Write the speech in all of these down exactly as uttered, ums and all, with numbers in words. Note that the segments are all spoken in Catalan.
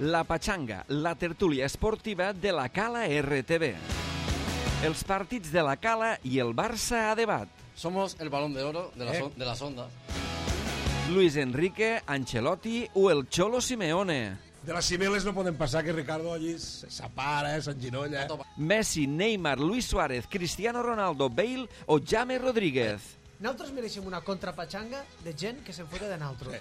La Pachanga, la tertúlia esportiva de la Cala R T V. Els partits de la Cala i el Barça a debat. Somos el balón de oro de, la ¿Eh? son, de las ondas. Luis Enrique, Ancelotti o el Cholo Simeone. De les cimeles no podem passar que Ricardo allí s'apara, s'enginolla. Messi, Neymar, Luis Suárez, Cristiano Ronaldo, Bale o James Rodríguez. Nosaltres mereixem una contrapatxanga de gent que se'n fota de nosaltres.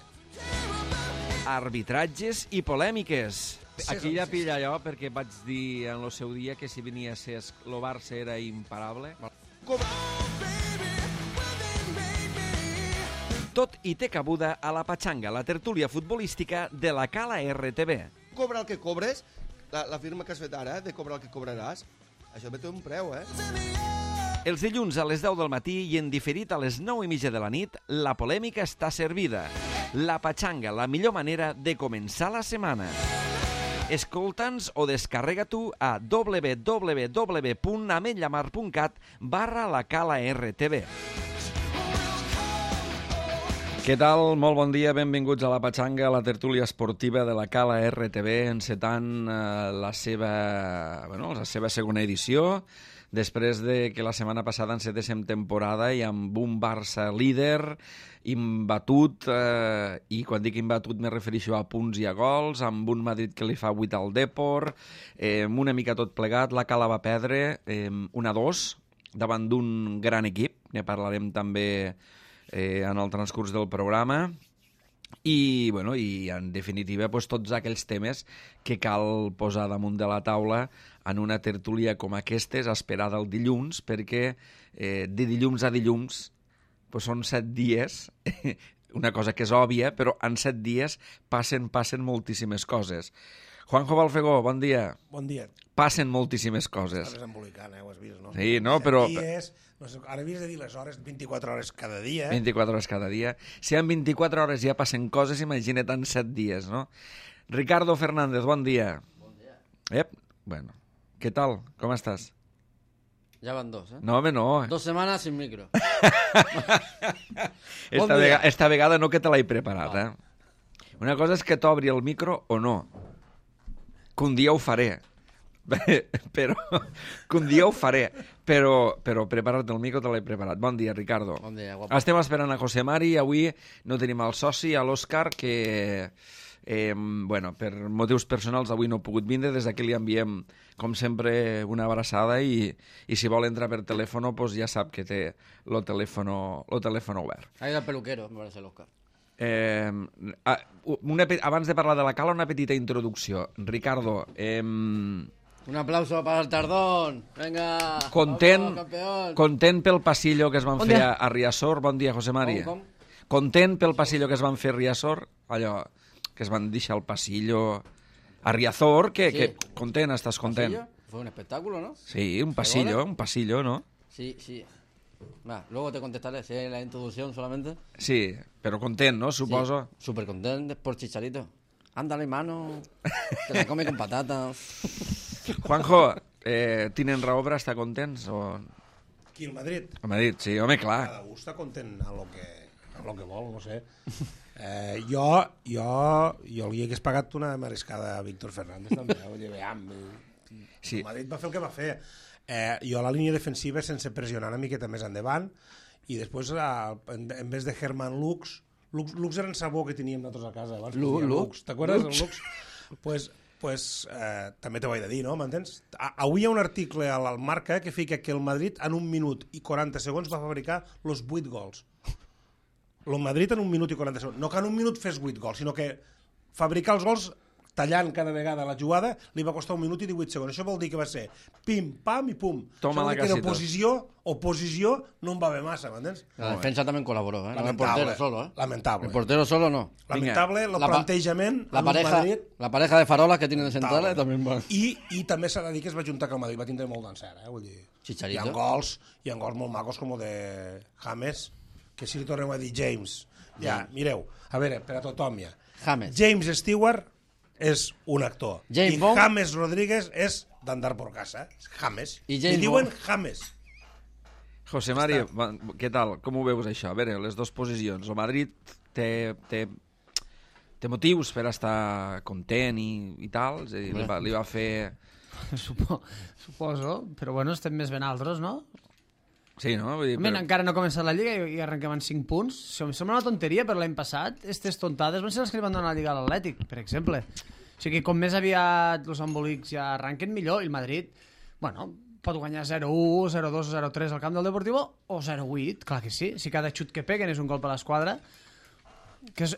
Arbitratges i polèmiques. Aquí ja pilla allò perquè vaig dir en el seu dia que si venia a ser el Barça era imparable. Tot i té cabuda a la Pachanga, la tertúlia futbolística de la Cala R T V. Cobra el que cobres, la, la firma que has fet ara, de cobrar el que cobraràs, això ve té un preu, eh? Els dilluns a les deu del matí i en diferit a les nou i mitja de la nit, la polèmica està servida. La Pachanga, la millor manera de començar la setmana. Escolta'ns o descarrega tu a w w w punt ametlla mar punt cat barra la Cala R T V. Què tal? Molt bon dia, benvinguts a la Pachanga, la tertúlia esportiva de la Cala R T V, encetant eh, la, seva, bueno, la seva segona edició, després de que la setmana passada encetéssim temporada i amb un Barça líder, imbatut, eh, i quan dic imbatut me refereixo a punts i a gols, amb un Madrid que li fa vuit al Depor, eh, una mica tot plegat, la Cala va perdre eh, un a dos davant d'un gran equip, ne parlarem també eh, en el transcurs del programa, i, bueno, i en definitiva pues, tots aquells temes que cal posar damunt de la taula en una tertúlia com aquestes, esperada el dilluns, perquè eh, de dilluns a dilluns pues, són set dies, una cosa que és òbvia, però en set dies passen, passen moltíssimes coses. Juanjo Balfegó, bon dia. Bon dia. Passen moltíssimes coses. Estàs embolicant, eh? Ho has vist, no? Sí, no, però... Dies, no sé, ara havies de dir les hores, vint-i-quatre hores cada dia. Eh? vint-i-quatre hores cada dia. Si en vint-i-quatre hores ja passen coses, imagina't en set dies, no? Ricardo Fernández, bon dia. Bon dia. Ep, bueno, què tal? Com estàs? Ya van dos, ¿eh? No, home, no. Dos semanas sin micro. esta, Bon vega, dia. esta vegada no que te l'he preparat, Ah. eh? Una cosa és que t'obri el micro o no. Que un dia ho faré. però que un dia ho faré. Però, però preparar-te el micro te l'he preparat. Bon dia, Ricardo. Bon dia, guapo. Estem esperant a José Mari i avui no tenim el soci, a l'Òscar, que eh, bueno, per motius personals avui no ha pogut vindre. Des d'aquí li enviem, com sempre, una abraçada i, i si vol entrar per telèfon, pues ja sap que té el telèfon, el telèfon obert. Ha ido al peluquero, me parece el Oscar. Eh, una, abans de parlar de la Cala, una petita introducció. Ricardo, eh, Un aplauso para el Tardón. Venga. content, Vamos, campeón. content pel passillo que es van Bon fer dia. a, a Riazor. Bon dia, José Mari. Com, com? Content pel passillo que es van fer a Riazor, allò que es van deixar el passillo a Riazor, que, Sí. que content, estàs content. ¿Pasillo? Fue un espectáculo, ¿no? Sí, un pasillo, goles? un pasillo, ¿no? Sí, sí. Va, luego te contestaré, si es la introducción solamente. Sí, però content, no? Suposo. Sí, súper contento por Chicharito. Ándale, mano. Te la come con patatas. Juanjo, eh, tenen raó per estar contents? O... Aquí al Madrid. A Madrid, sí, home, clar. Cada un està content amb el que, amb el que vol, no sé. Eh, jo, jo, jo li hagués pagat una mariscada a Víctor Fernández també. Oye, veam, Sí. el Madrid va fer el que va fer. Eh, jo a la línia defensiva sense pressionar una miqueta més endavant i després eh, en, en vez de Herman Lux, Lux, Lux era en sabó que teníem nosaltres a casa abans. Lu- Lux, Lux? t'acordes del Lux? Pues, pues eh, també t'ho he de dir, no? M'entens? A- Avui hi ha un article al al Marca que fica que el Madrid en un minut i quaranta segons va fabricar los vuit gols. El Madrid en un minut i quaranta segons. No que en un minut fes vuit gols, sinó que fabricar els gols tallant cada vegada la jugada li va costar un minut i divuit segons. Això vol dir que va ser pim, pam i pum. Toma Això vol la dir que en casita. oposició, oposició no en va haver massa, m'entens? La defensa también colaboró, ¿eh? No el Lamentable, portero solo, ¿eh? lamentable. El portero solo no. Lamentable el La pa- plantejament La en un pareja, Madrid. la pareja de farolas que tienen de centrales también van. I, i també s'ha de dir que es va juntar que el Madrid va tindre molt d'encert, eh? Vull dir, Chicharito. hi ha gols, hi ha gols molt macos com el de James, que si li tornem a dir James. Ja, mireu, a veure, per a tothom ja. James. James Stewart és un actor. James I Bond. James Rodríguez és d'andar por casa. James. I I James diuen Bond. James. José Mari, què tal? Com ho veus això? A veure, les dues posicions. El Madrid té, té té motius per estar content i, i tal, és a dir, li va, li va fer... Supo, suposo, però bueno, estem més ben altres, no? Sí, no? Vull dir, Però... però... Encara no ha començat la Lliga i, i arrenquem en cinc punts. Som, sembla una tonteria, però l'any passat aquestes tontades van ser les que li van donar la Lliga a l'Atlètic, per exemple. O sigui, com més aviat els embolics ja arranquen, millor. I el Madrid, bueno, pot guanyar zero u, zero dos, zero tres al camp del Deportivo o zero vuit, clar que sí. Si cada xut que peguen és un gol per l'esquadra, que és...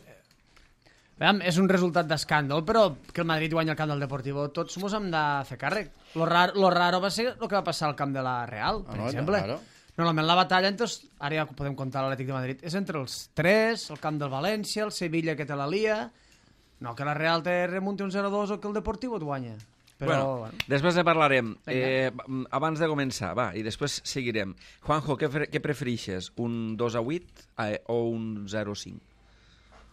Veiem, és un resultat d'escàndol, però que el Madrid guanya el camp del Deportivo, tots mos hem de fer càrrec. Lo raro, lo raro va ser el que va passar al camp de la Real, per Ah, no, exemple. claro. Normalment la batalla, entre els, ara ja podem comptar l'Atlètic de Madrid, és entre els tres, el camp del València, el Sevilla que te la lia, no que la Real te remunti un zero dos o que el Deportivo et guanya. Però, Bueno, bueno, després ne parlarem. Vinga. Eh, abans de començar, va, i després seguirem. Juanjo, què, pre- què prefereixes? Un dos a vuit eh, o un zero a cinc?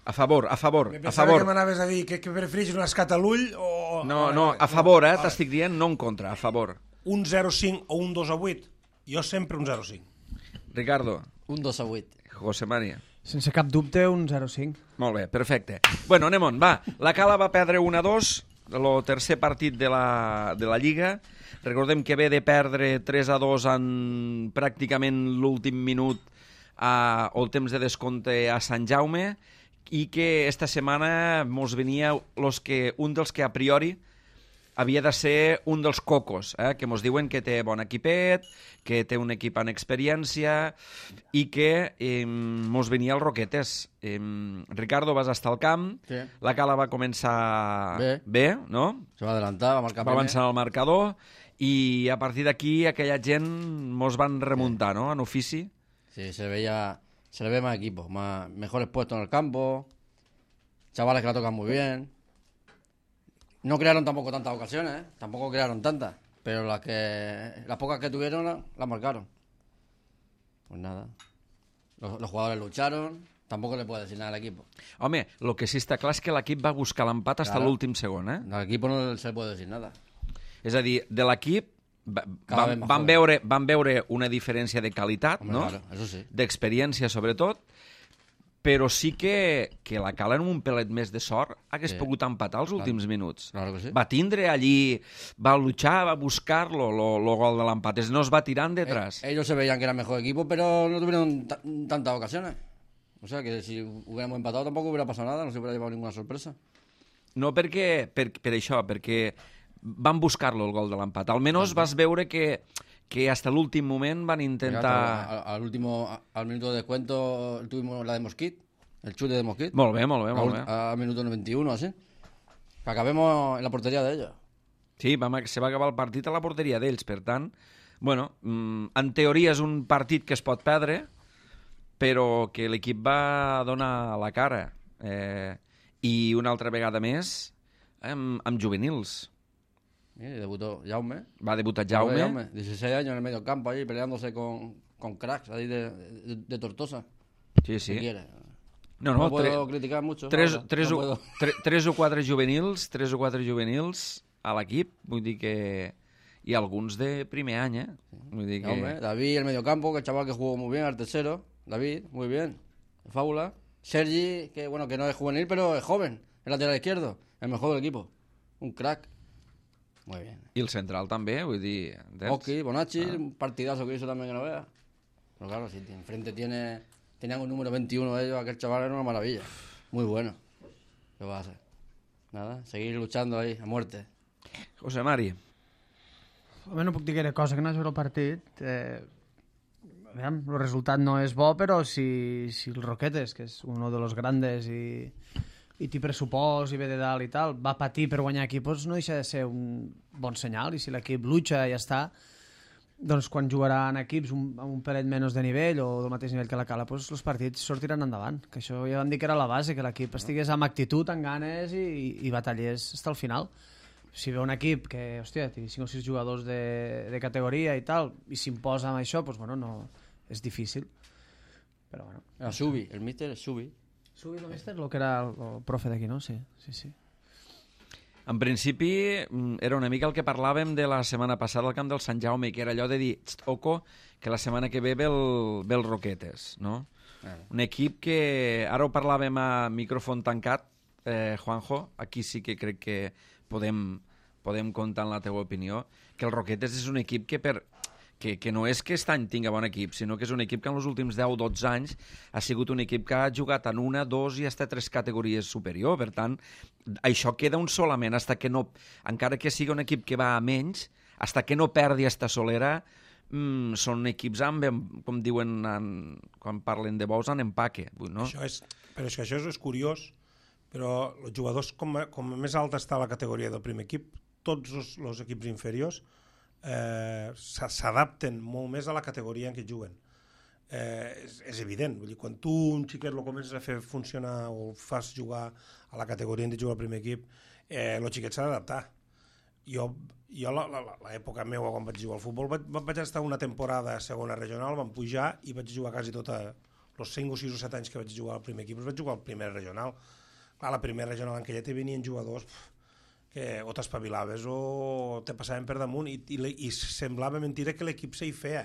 A favor, a favor, Me a pensava favor. que m'anaves a dir que, que prefereixes un escat a l'ull o... No, a no, veure, a favor, eh? a veure. T'estic dient, no en contra, a favor. Un zero cinc o un dos a vuit? Jo sempre un zero cinc. Ricardo, Un dos a vuit. José María. sense cap dubte, un zero cinc. Molt bé, perfecte. Bueno, anem on, va. La Cala va perdre un a dos, el tercer partit de la, de la Lliga. Recordem que ve de perdre tres a dos en pràcticament l'últim minut a, o el temps de descompte a Sant Jaume, i que esta setmana mos venia los que, un dels que a priori havia de ser un dels cocos, eh? Que mos diuen que té bon equipet, que té un equip en experiència i que eh, mos venia el Roquetes. Eh, Ricardo, vas estar al camp, Sí. la Cala va començar Bé. bé, no? Se va adelantar, va marcar Va avançar el marcador i a partir d'aquí aquella gent mos van remuntar, no?, en ofici. Sí, se veía, se le ve más equipo, más, mejores puestos en el campo, chavales que la tocan muy bien. No crearon tampoco tantas ocasiones, ¿eh? Tampoco crearon tantas, pero las que las pocas que tuvieron la- las marcaron. Pues nada, los, los jugadores lucharon, tampoco le puedo decir nada al equipo. Home, el que sí està clar és que l'equip va buscar l'empat fins a Claro. l'últim segon, eh? Al equipo no se le puede decir nada. És a dir, de l'equip va- Cada van, vez más van, joven. veure, van veure una diferència de qualitat, Hombre, no? claro, eso sí. D'experiència, sobretot, però sí que, que la Cala amb un pelet més de sort hagués Sí. pogut empatar els últims minuts. Claro que sí. Va tindre allí, va luchar, va buscar-lo, lo, lo gol de l'empat. Es no es va tirant detrás. Eh, ellos se veían que eran mejor equipo, pero no tuvieron ta- tantas ocasiones. O sea que si hubiéramos empatado tampoco hubiera pasado nada, no se hubiera llevado ninguna sorpresa. No perquè, per, per això, perquè van buscar-lo el gol de l'empat. Almenys vas veure que, que hasta l'últim moment van intentar... Al, al último, a- al minuto de descuento tuvimos la de Mosquit, el chute de Mosquit. Molt bé, molt bé, Al molt ul- bé. Al minuto noventa y uno, así. Que acabemos en la portería de ellos. Sí, vam, se va acabar el partit a la porteria d'ells, per tant, bueno, mm, en teoria és un partit que es pot perdre, però que l'equip va donar la cara. Eh, I una altra vegada més, amb, amb juvenils. Mira, debutó Jaume. Va debutar Jaume. Jaume, dieciséis años en el medio campo ahí peleándose con, con cracks ahí de, de, de Tortosa. Sí, ¿Qué sí. quiere? No, No, no, puedo tre- criticar mucho. tres, ahora, tres, no o, puedo. tre, tres o quatre juvenils, tres o quatre juvenils a l'equip, vull dir que... I alguns de primer any, eh? Vull dir que... Jaume, David, el medio campo, que el chaval que jugó muy bien, al tercero. David, muy bien. Fábula. Sergi, que bueno, que no es juvenil, pero es joven. El lateral izquierdo. El mejor del equipo. Un crack. Muy bien. I el central també, vull dir... entens? Oki, Bonacci, un partidazo que hizo también que no vea. Pero claro, si enfrente tiene, tenían un número veintiuno de ellos, aquel chaval era una maravilla. Muy bueno. ¿Qué va a hacer? Nada, seguir luchando ahí, a muerte. José Mari. Home, no puc dir gaire cosa que no hagi vist el partit. Eh, aviam, el resultat no és bo, però si, si el Roquetes, que és un dels grandes i, i té pressupost i ve de dalt i tal, va patir per guanyar equipos, no deixa de ser un bon senyal. I si l'equip lucha i ja està, doncs quan jugarà en equips un, amb un pelet menys de nivell o del mateix nivell que la Cala, doncs els partits sortiran endavant. Que això ja vam dir que era la base, que l'equip estigués amb actitud, amb ganes i, i batallés fins al final. Si ve un equip que, hòstia, té cinc o sis jugadors de, de categoria i tal, i s'imposa amb això, doncs, bueno, no, és difícil. Però, bueno. Era Subi, el míster es Subi. Subi el míster, el que era el, el profe d'aquí, no? Sí, sí, sí. En principi, mm, era una mica el que parlàvem de la setmana passada al camp del Sant Jaume, que era allò de dir, "Txt, oco, que la setmana que ve ve el, ve el Roquetes, no? Claro. Un equip que, ara ho parlàvem a micròfon tancat, eh, Juanjo, aquí sí que crec que podem, podem comptar en la teva opinió, que el Roquetes és un equip que per... Que, que no és que aquest any tinga bon equip, sinó que és un equip que en els últims deu o dotze anys ha sigut un equip que ha jugat en una, dos i fins a tres categories superior. Per tant, això queda un solament, hasta que no, encara que sigui un equip que va a menys, hasta que no perdi esta solera, mmm, són equips amb, com diuen en, quan parlen de bous, en empaque. No? Això és, però és que això és curiós, però els jugadors, com, com més alta està la categoria del primer equip, tots els, els equips inferiors Eh, s'adapten molt més a la categoria en què juguen. Eh, és, és evident, vull dir, quan tu un xiquet lo comences a fer funcionar o fas jugar a la categoria en què juga el primer equip, eh, el xiquet s'ha d'adaptar. Jo, jo l'època meva quan vaig jugar al futbol vaig, vaig estar una temporada a segona regional, vam pujar i vaig jugar quasi tota els cinc o sis o set anys que vaig jugar al primer equip, vaig jugar al primer regional. Clar, la primera regional en què ja te venien jugadors pff, que o t'espavilaves o te passaven per damunt i, i, i semblava mentira que l'equip s'hi feia.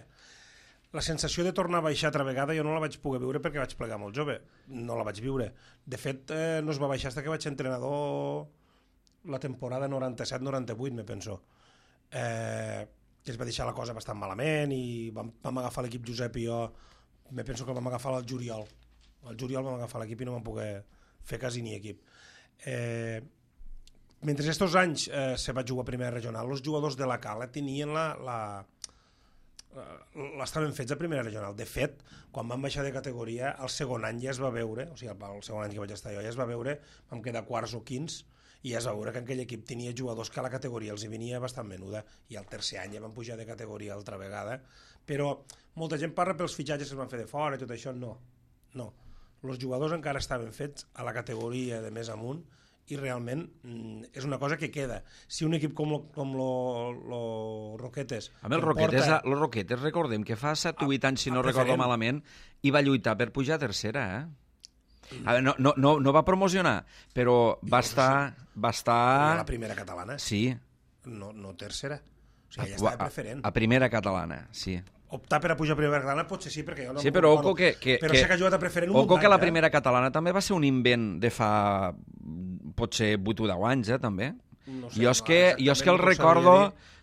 La sensació de tornar a baixar altra vegada jo no la vaig poder viure perquè vaig plegar molt jove, no la vaig viure. De fet, eh, no es va baixar fins que vaig ser entrenador la temporada noranta-set noranta-vuit, me penso. Eh, que es va deixar la cosa bastant malament i vam, vam agafar l'equip Josep i jo, me penso que el vam agafar al juliol. Al juliol vam agafar l'equip i no vam poder fer quasi ni equip. Eh... Mentre aquests anys eh, se va jugar a primera regional, els jugadors de la Cala tenien la... la l'estaven fets a primera regional. De fet, quan vam baixar de categoria, el segon any ja es va veure, o sigui, el segon any que vaig estar jo, ja es va veure, vam quedar quarts o quins, i ja es va veure que aquell equip tenia jugadors que a la categoria els hi venia bastant menuda, i el tercer any ja van pujar de categoria altra vegada, però molta gent parla pels fitxatges que es van fer de fora i tot això, no, no. Els jugadors encara estaven fets a la categoria de més amunt, i realment mm, és una cosa que queda. Si un equip com lo, com lo, lo Roquetes... A mi el Roquetes, porta... lo Roquetes, recordem que fa set o vuit anys, si no recordo malament, i va lluitar per pujar a tercera, eh? A veure, no, no, no, no va promocionar, però va estar... Va estar... A la primera catalana. Sí. No, no tercera. O sigui, ja estava preferent. A, a primera catalana, sí. Optar per a pujar a primera catalana potser sí, perquè jo no... Sí, però oco que... que però sé que ha jugat a preferent un oco muntat, que la eh? primera catalana també va ser un invent de fa potser vuit o deu anys, eh, també. No sé, jo és que, no, jo és que el recordo,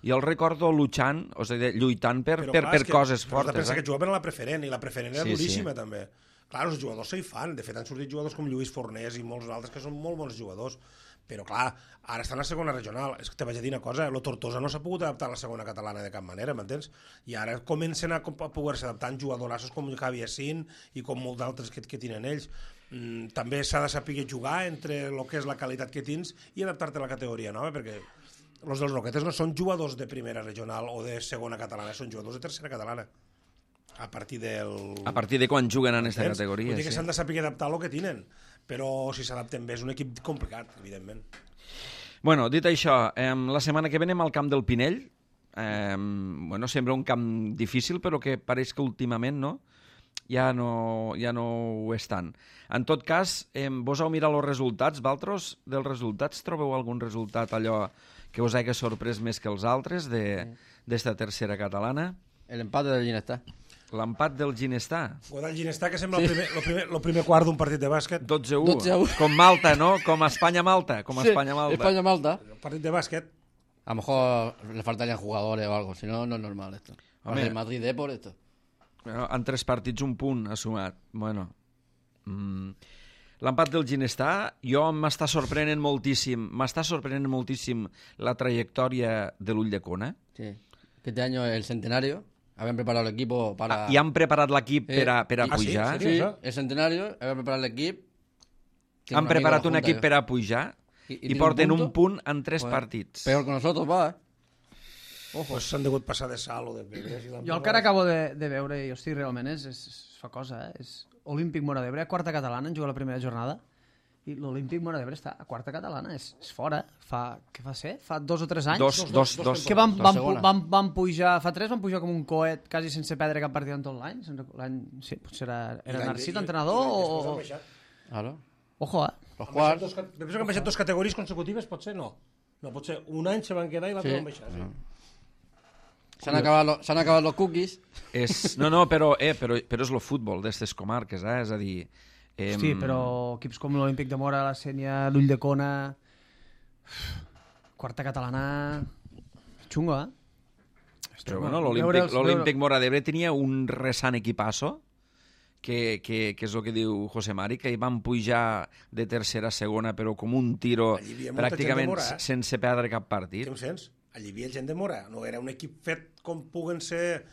jo el recordo luchant, o sigui, lluitant per, però, per, clar, per que, coses però fortes. Pensa eh? que jugaven a la preferent, i la preferent era sí, duríssima, sí. també. Clar, els jugadors s'hi fan, de fet han sortit jugadors com Lluís Fornés i molts altres que són molt bons jugadors, però clar, ara estan a la segona regional. És que te vaig a dir una cosa, el Tortosa no s'ha pogut adaptar a la segona catalana de cap manera, m'entens? I ara comencen a, a poder-se adaptar en jugadorassos com Javi Assin i com molts d'altres que, que tenen ells. Mm, també s'ha de saber jugar entre el que és la qualitat que tens i adaptar-te a la categoria nova, perquè els dels Roquetes no són jugadors de primera regional o de segona catalana, són jugadors de tercera catalana. A partir del... A partir de quan juguen en aquesta categoria. Vull dir que sí. s'han de saber adaptar a lo que tenen, però si s'adapten bé és un equip complicat, evidentment. Bueno, dit això, eh, la setmana que ve anem al camp del Pinell. Eh, bueno, sembla un camp difícil, però que pareix que últimament no, ja no, ja no ho és tant. En tot cas, eh, vos heu mirat els resultats, Valtros? Dels resultats trobeu algun resultat allò que us hagi sorprès més que els altres d'esta tercera catalana? El empate del Ginestà. L'empat del Ginestà. Godall Ginestà, que sembla sí. el, primer, el, primer, el primer quart d'un partit de bàsquet. dotze a u. dotze a u. Com Malta, no? Com Espanya-Malta. Com Sí, Espanya-Malta. España-Malta. Un partit de bàsquet. A lo mejor le faltarían jugadores o algo, si no, no es normal esto. Hombre. El Madrid de por esto. Bueno, en tres partits un punt ha sumat. Bueno, mm. L'empat del Ginestà, jo m'està sorprenent moltíssim, m'està sorprenent moltíssim la trajectòria de l'Ulldecona. Sí. Que este año es el centenario. Habían preparado el equipo para... Ah, I han preparat l'equip Eh, per a, per a ah, sí? pujar. ¿En Sí, serio? el centenario. Habían preparado el equipo. Tiene Han un preparat amigo un de la equip Junta, per a pujar y- y i, tiene porten un punto. punt en tres Joder, partits. Peor que nosotros, va, eh. Ojo. Pues s'han degut passar de sal o de pedres. I Jo el que ara acabo de, de veure, i hosti, realment és, és, és fa cosa, eh? És Olímpic Móra d'Ebre, quarta catalana, en juga la primera jornada, i l'Olímpic Móra d'Ebre està a quarta catalana, és, és fora. Fa, què fa ser? Fa dos o tres anys? Dos, dos, dos, dos, que van, dos van, segona. van, van pujar, fa tres van pujar com un coet, quasi sense perdre cap partit en tot l'any. Se'n rec- l'any sí, potser era, era Narcís, l'entrenador, o... Claro. Ojo, eh? Los quarts. Dos, penso que han baixat dues categories consecutives, potser no. No, potser un any se van quedar i l'altre Sí. van baixar. Sí. Se han, acabado los, se han acabado los cookies. És, no, no, però, eh, però, però és el futbol d'estes comarques, eh? És a dir, Hosti, però equips com l'Olímpic de Mora, la Sènia, l'Ull de Cona, Quarta Catalana... Xungo, eh? Però bueno, l'Olímpic Mora d'Ebre tenia un resant equipasso, que, que, que és el que diu José Mari, que hi van pujar de tercera a segona, però com un tiro pràcticament Mora, eh? sense perdre cap partit. Què em sents? Allí hi havia gent de Mora, no era un equip fet com puguen ser...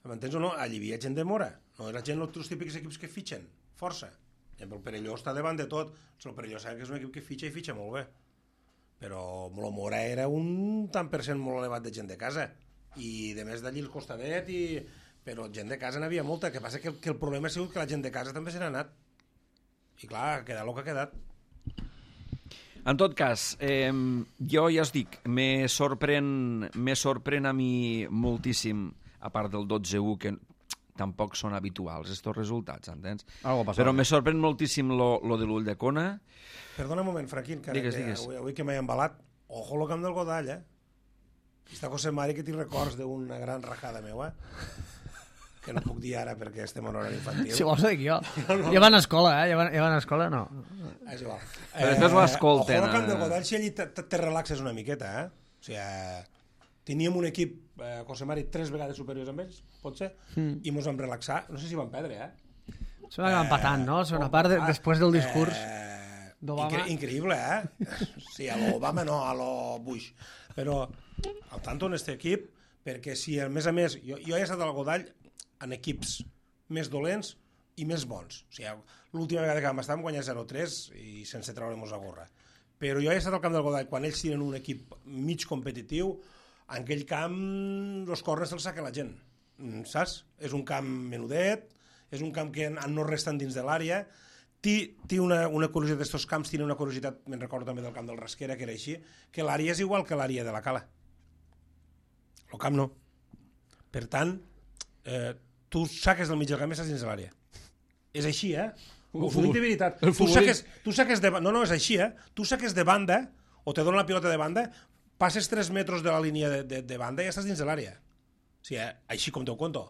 M'entens o no? Allí hi havia gent de Mora, no era gent els típics equips que fitxen, força. El Perelló està davant de tot, el Perelló sap que és un equip que fitxa i fitxa molt bé. Però el Mora era un tant per cent molt elevat de gent de casa, i de més d'allí el costadet, i... però gent de casa n'havia molta, que passa que el, que el problema ha sigut que la gent de casa també se n'ha anat, i clar, ha quedat el que ha quedat. En tot cas, eh, jo ja us dic, me sorprèn, me sorprèn a mi moltíssim, a part del dotze u, que tampoc són habituals, estos resultats, entens? Però me sorprèn moltíssim lo, lo de l'Ull de Cona. Perdona un moment, Franquín, que, digues, que digues. Avui, avui que m'he embalat, ojo lo camp del Godall, eh? Està José Mari que t'hi records d'una gran rajada meua, que no puc dir ara perquè estem en horari infantil. Si vols ho dic jo. No, no. Ja van a escola, eh? Ja van, ja van a escola, no. És igual. Però després ho escolten. Ojo lo camp del Godall, si allí te, te relaxes una miqueta, eh? O sigui, teníem un equip, eh, José Mari, tres vegades superiors amb ells, pot ser, mm. i mos vam relaxar. No sé si van perdre, eh? Se van empatant, no? Segona part, de, després del discurs eh, d'Obama. Incre increïble, eh? Sí, a l'Obama no, a lo Bush. Però al tanto en este equip, perquè si a més a més, jo, jo he estat al Godall en equips més dolents i més bons. O sigui, l'última vegada que vam estar vam guanyar zero tres i sense treure-nos la gorra. Però jo he estat al camp del Godall quan ells tenen un equip mig competitiu, en aquell camp els corners se'ls saca la gent, saps? És un camp menudet, és un camp que no resten dins de l'àrea, té una, una curiositat d'estos camps, té una curiositat, me'n recordo també del camp del Rasquera, que era així, que l'àrea és igual que l'àrea de la Cala. El camp no. Per tant, eh, tu saques del mig del camp i estàs dins de l'àrea. És així, eh? Ho dic de veritat. Tu saques, tu saques de... No, no, és així, eh? Tu saques de banda, o te donen la pilota de banda, passes tres metres de la línia de, de, de banda i ja estàs dins de l'àrea. O sigui, eh? Així com teu conto.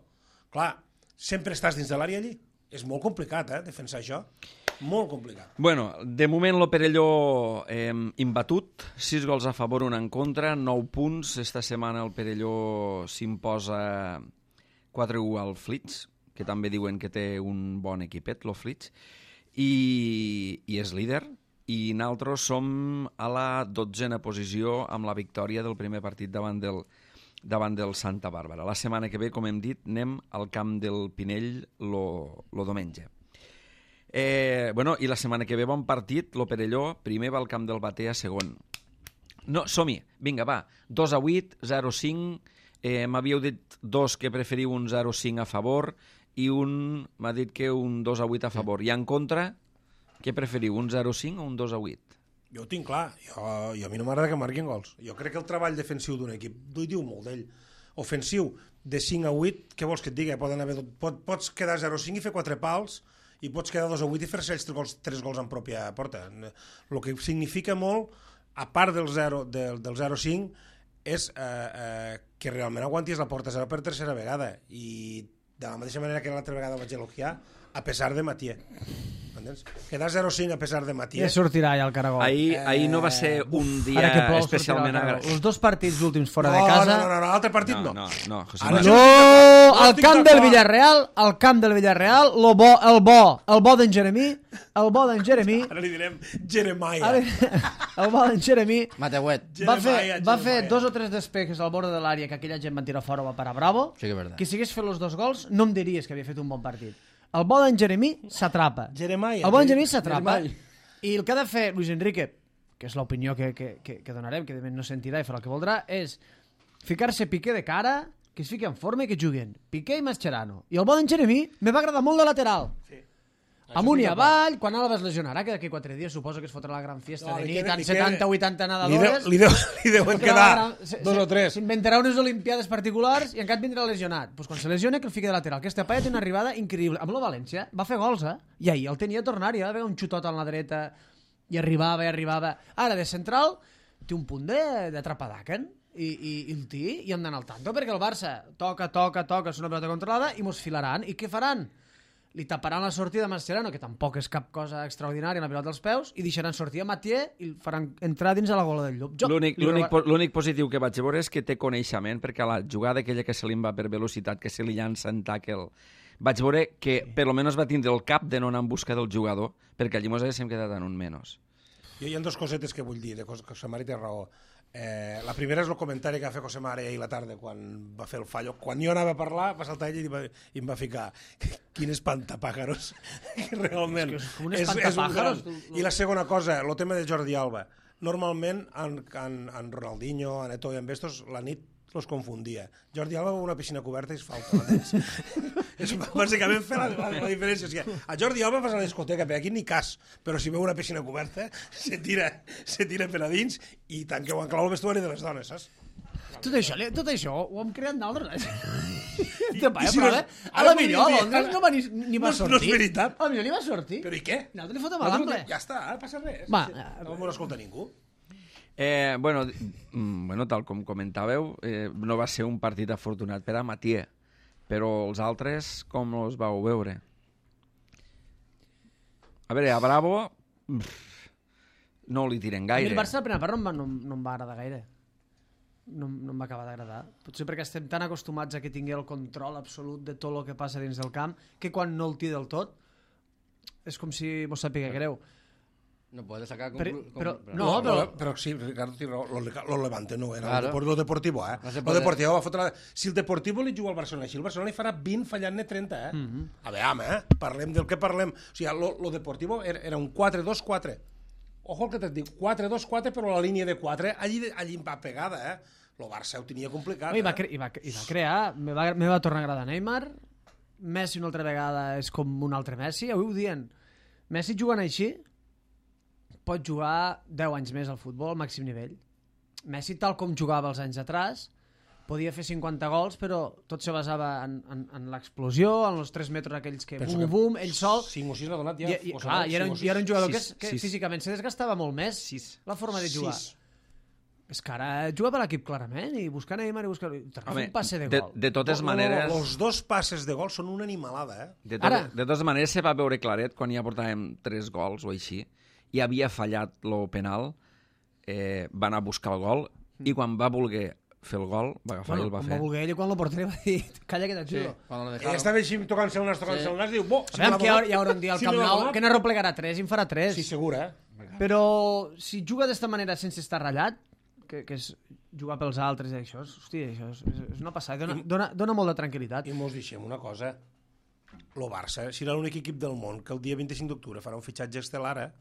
Clar, sempre estàs dins de l'àrea allí. És molt complicat, eh, defensar això. Molt complicat. Bueno, de moment lo Perelló eh, imbatut, sis gols a favor, un en contra, nou punts. Esta setmana el Perelló s'imposa quatre u al Flits, que també diuen que té un bon equipet, lo Flits, i, i és líder. I nosaltres som a la dotzena posició amb la victòria del primer partit davant del, davant del Santa Bàrbara. La setmana que ve, com hem dit, anem al camp del Pinell lo, lo diumenge. Eh, bueno, i la setmana que ve bon partit, lo Perelló primer va al camp del Batea, segon. No, som-hi, vinga, va, dos a vuit, zero a cinc, eh, m'havíeu dit dos que preferiu un zero a cinc a favor i un m'ha dit que un dos a vuit a favor. I en contra, què preferiu, un zero a cinc o un dos a vuit? Jo ho tinc clar, jo, jo a mi no m'agrada que marquin gols. Jo crec que el treball defensiu d'un equip diu molt d'ell. Ofensiu, de cinc a vuit, què vols que et digui? Poden haver, pot, pots quedar zero a cinc i fer quatre pals, i pots quedar dos a vuit i fer-se ells tres gols, tres gols en pròpia porta. El que significa molt, a part del zero, del, del zero a cinc, és eh, eh, que realment aguantis la porta zero per tercera vegada. I de la mateixa manera que l'altra vegada vaig elogiar, a pesar de Matier. Entens? Quedar zero a cinc a pesar de Matier. Ja sortirà ja el caragol. Ahir, eh... ahir no va ser un dia plou, especialment agradat. Els dos partits últims fora no, de casa... No, no, no, l'altre partit no. No, no, no, José Ara, Manuel. No, al camp del Villarreal, al camp del Villarreal, lo bo, el bo, el bo d'en Jeremí, el bo d'en Jeremí... Ara li direm Jeremiah. El bo d'en Jeremí... Mateuet. Va fer, va fer dos o tres despejes al bord de l'àrea que aquella gent va tirar fora, va parar Bravo. Sí que és veritat. Que si hagués fet els dos gols, no em diries que havia fet un bon partit. El bo d'en Jeremí s'atrapa. Jeremiah. El bo d'en Jeremí s'atrapa. I el que ha de fer Luis Enrique, que és l'opinió que, que, que, que donarem, que de no sentirà i farà el que voldrà, és ficar-se Piqué de cara, que es fiqui en forma i que juguen Piqué i Mascherano. I el bo d'en Jeremí me va agradar molt de lateral. Sí. Amunt i avall, quan Alba es lesionarà, que d'aquí quatre dies suposo que es fotrà la gran fiesta no, de nit, amb setanta o vuitanta nedadores. Li, deu, li deuen quedar gran, se, dos o tres. S'inventarà unes olimpiades particulars i encara vindrà lesionat. Pues quan se lesiona, que el fiqui de lateral. Aquesta paia té una arribada increïble. Amb el València va fer gols, eh? I ahir el tenia a tornar, i va haver un xutot a la dreta i arribava i arribava. Ara, de central, té un punt d'atrapadaquen i, i, i el té i hem d'anar al tanto, perquè el Barça toca, toca, toca, és una pelota controlada i mos filaran. I què faran? li taparan la sortida a Mascherano, que tampoc és cap cosa extraordinària en la pilota dels peus, i deixaran sortir a Mathieu i el faran entrar dins a la gola del Llop. Jo L'únic li l'únic roba- po- l'únic positiu que vaig veure és que té coneixement, perquè a la jugada aquella que se li va per velocitat, que se li llança en tackle, vaig veure que per lo menos va tindre el cap de no anar en busca del jugador, perquè allí mos haguéssim quedat en un menys. Jo hi ha dues cosetes que vull dir, de cos- que Cosemari té raó. Eh, la primera és el comentari que va fer Cosemari ahir a la tarda quan va fer el fallo. Quan jo anava a parlar, va saltar ell i, va, i em va ficar quin espantapàjaros. Realment. És que és com un espantapàjaros, gran. tu- I la segona cosa, el tema de Jordi Alba. Normalment, en, en, en Ronaldinho, en Eto'o i en Bestos, la nit los confundia. Jordi Alba va a una piscina coberta i es falta. És bàsicament fer la, la, la diferència. O sigui, a Jordi Alba vas a la discoteca, per aquí ni cas, però si veu una piscina coberta, se tira, se tira per a dins i tanqueu en clau el vestuari de les dones, saps? Tot això, li- tot això ho hem creat nosaltres. I- Te paia, i si però, no- eh? A ara la millor, a podries dir- Londres no va ni, ni va No és- sortir. no és veritat. A la millor ni va sortir. Però i què? Nosaltres li fotem a Nosaltres- l'ample. Ja està, no passa res. Va, Sí, eh, no m'ho escolta ningú. Eh, bueno, mm, bueno, tal com comentàveu, eh, no va ser un partit afortunat per a Mathieu, però els altres com els vau veure? A veure, a Bravo pff, no li tiren a mi gaire. el Barça la primera part no, em va- no, em- no em va agradar gaire. No, em- no em va acabar d'agradar. Potser perquè estem tan acostumats a que tingui el control absolut de tot el que passa dins del camp que quan no el té del tot és com si mos sàpiga greu. No puede sacar Però- conclu- però- conclu- no, lo, però- però sí, Ricardo té raó, lo, lo Levante no era, Claro. lo, lo Deportivo, eh? No se Lo puede- Deportivo va fotre la... Si el Deportivo li juga al Barcelona així, el Barcelona li farà vint fallant-ne trenta, eh? Mm -hmm. A veure, eh? Parlem del que parlem. O sigui, lo, lo Deportivo era, era un quatre dos quatre. Ojo el que t'et dic, quatre dos quatre, però la línia de quatre allí, allí va pegada, eh? Lo Barça ho tenia complicat, I va, eh? cre i va, i va crear, me va, me va tornar a agradar Neymar, Messi una altra vegada és com un altre Messi, avui ho dient, Messi jugant així pot jugar deu anys més al futbol al màxim nivell. Messi, tal com jugava els anys atrás, podia fer cinquanta gols, però tot se basava en, en, en l'explosió, en els tres metres aquells que Penso bum, que bum, ell sol. cinc o sis l'ha donat ja. I, i, o clar, sigui, i, era, cinc un, o sis. i era un jugador que, Sis, que sis. físicament se desgastava molt més Sis. la forma de jugar. Sis. És que ara juga per l'equip clarament i buscar Neymar i buscar... Home, un passe de de, gol. de totes No, maneres... Els dos passes de gol són una animalada, eh? De, tot, Ara- de totes maneres, se va veure claret quan ja portàvem tres gols o així, i havia fallat lo penal, eh, va anar a buscar el gol, i quan va voler fer el gol, va agafar Bueno, i el va quan fer. va voler ell i quan el porter va dir calla que Sí, t'ajudo. cuando lo Ell dejaron. estava així tocant-se el nas, tocant-se el nas, diu, bo, si me Sabem l'ha que hi haurà, donat, hi haurà un dia al si Camp me l'ha Nou donat. que no replegarà tres i en farà tres. Sí, segur, eh? Però si juga d'esta manera sense estar ratllat, que, que és jugar pels altres i això, és, hòstia, això és, és una passada, dona, dona, dona molt de tranquil·litat. I mos deixem una cosa. Lo Barça serà l'únic equip del món que el dia vint-i-cinc d'octubre farà un fitxatge estel·lar, eh?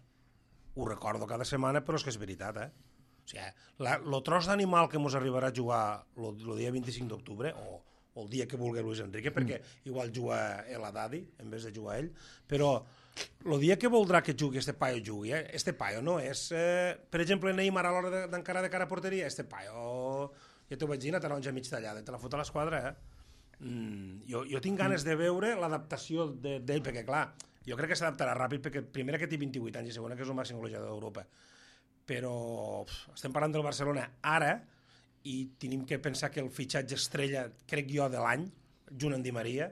Ho recordo cada setmana, però és que és veritat, eh? O sigui, la, lo tros d'animal que mos arribarà a jugar el dia vint-i-cinc d'octubre, o, o el dia que vulgui Luis Enrique, perquè igual juga el Haddadi en vez de jugar ell, però el dia que voldrà que jugui este paio jugui, eh? Este paio no és, eh, per exemple, Neymar a l'hora de- d'encarar de cara a porteria, este paio, ja t'ho vaig dir, una taronja mig tallada, te la fot a l'esquadra, eh? Mm, jo, jo tinc ganes de veure l'adaptació de- d'ell, perquè clar, jo crec que s'adaptarà ràpid, perquè primera que té vint-i-vuit anys i segona que és el màxim golejador d'Europa, però pf, estem parlant del Barcelona ara i tenim que pensar que el fitxatge estrella, crec jo, de l'any, junt amb Di Maria,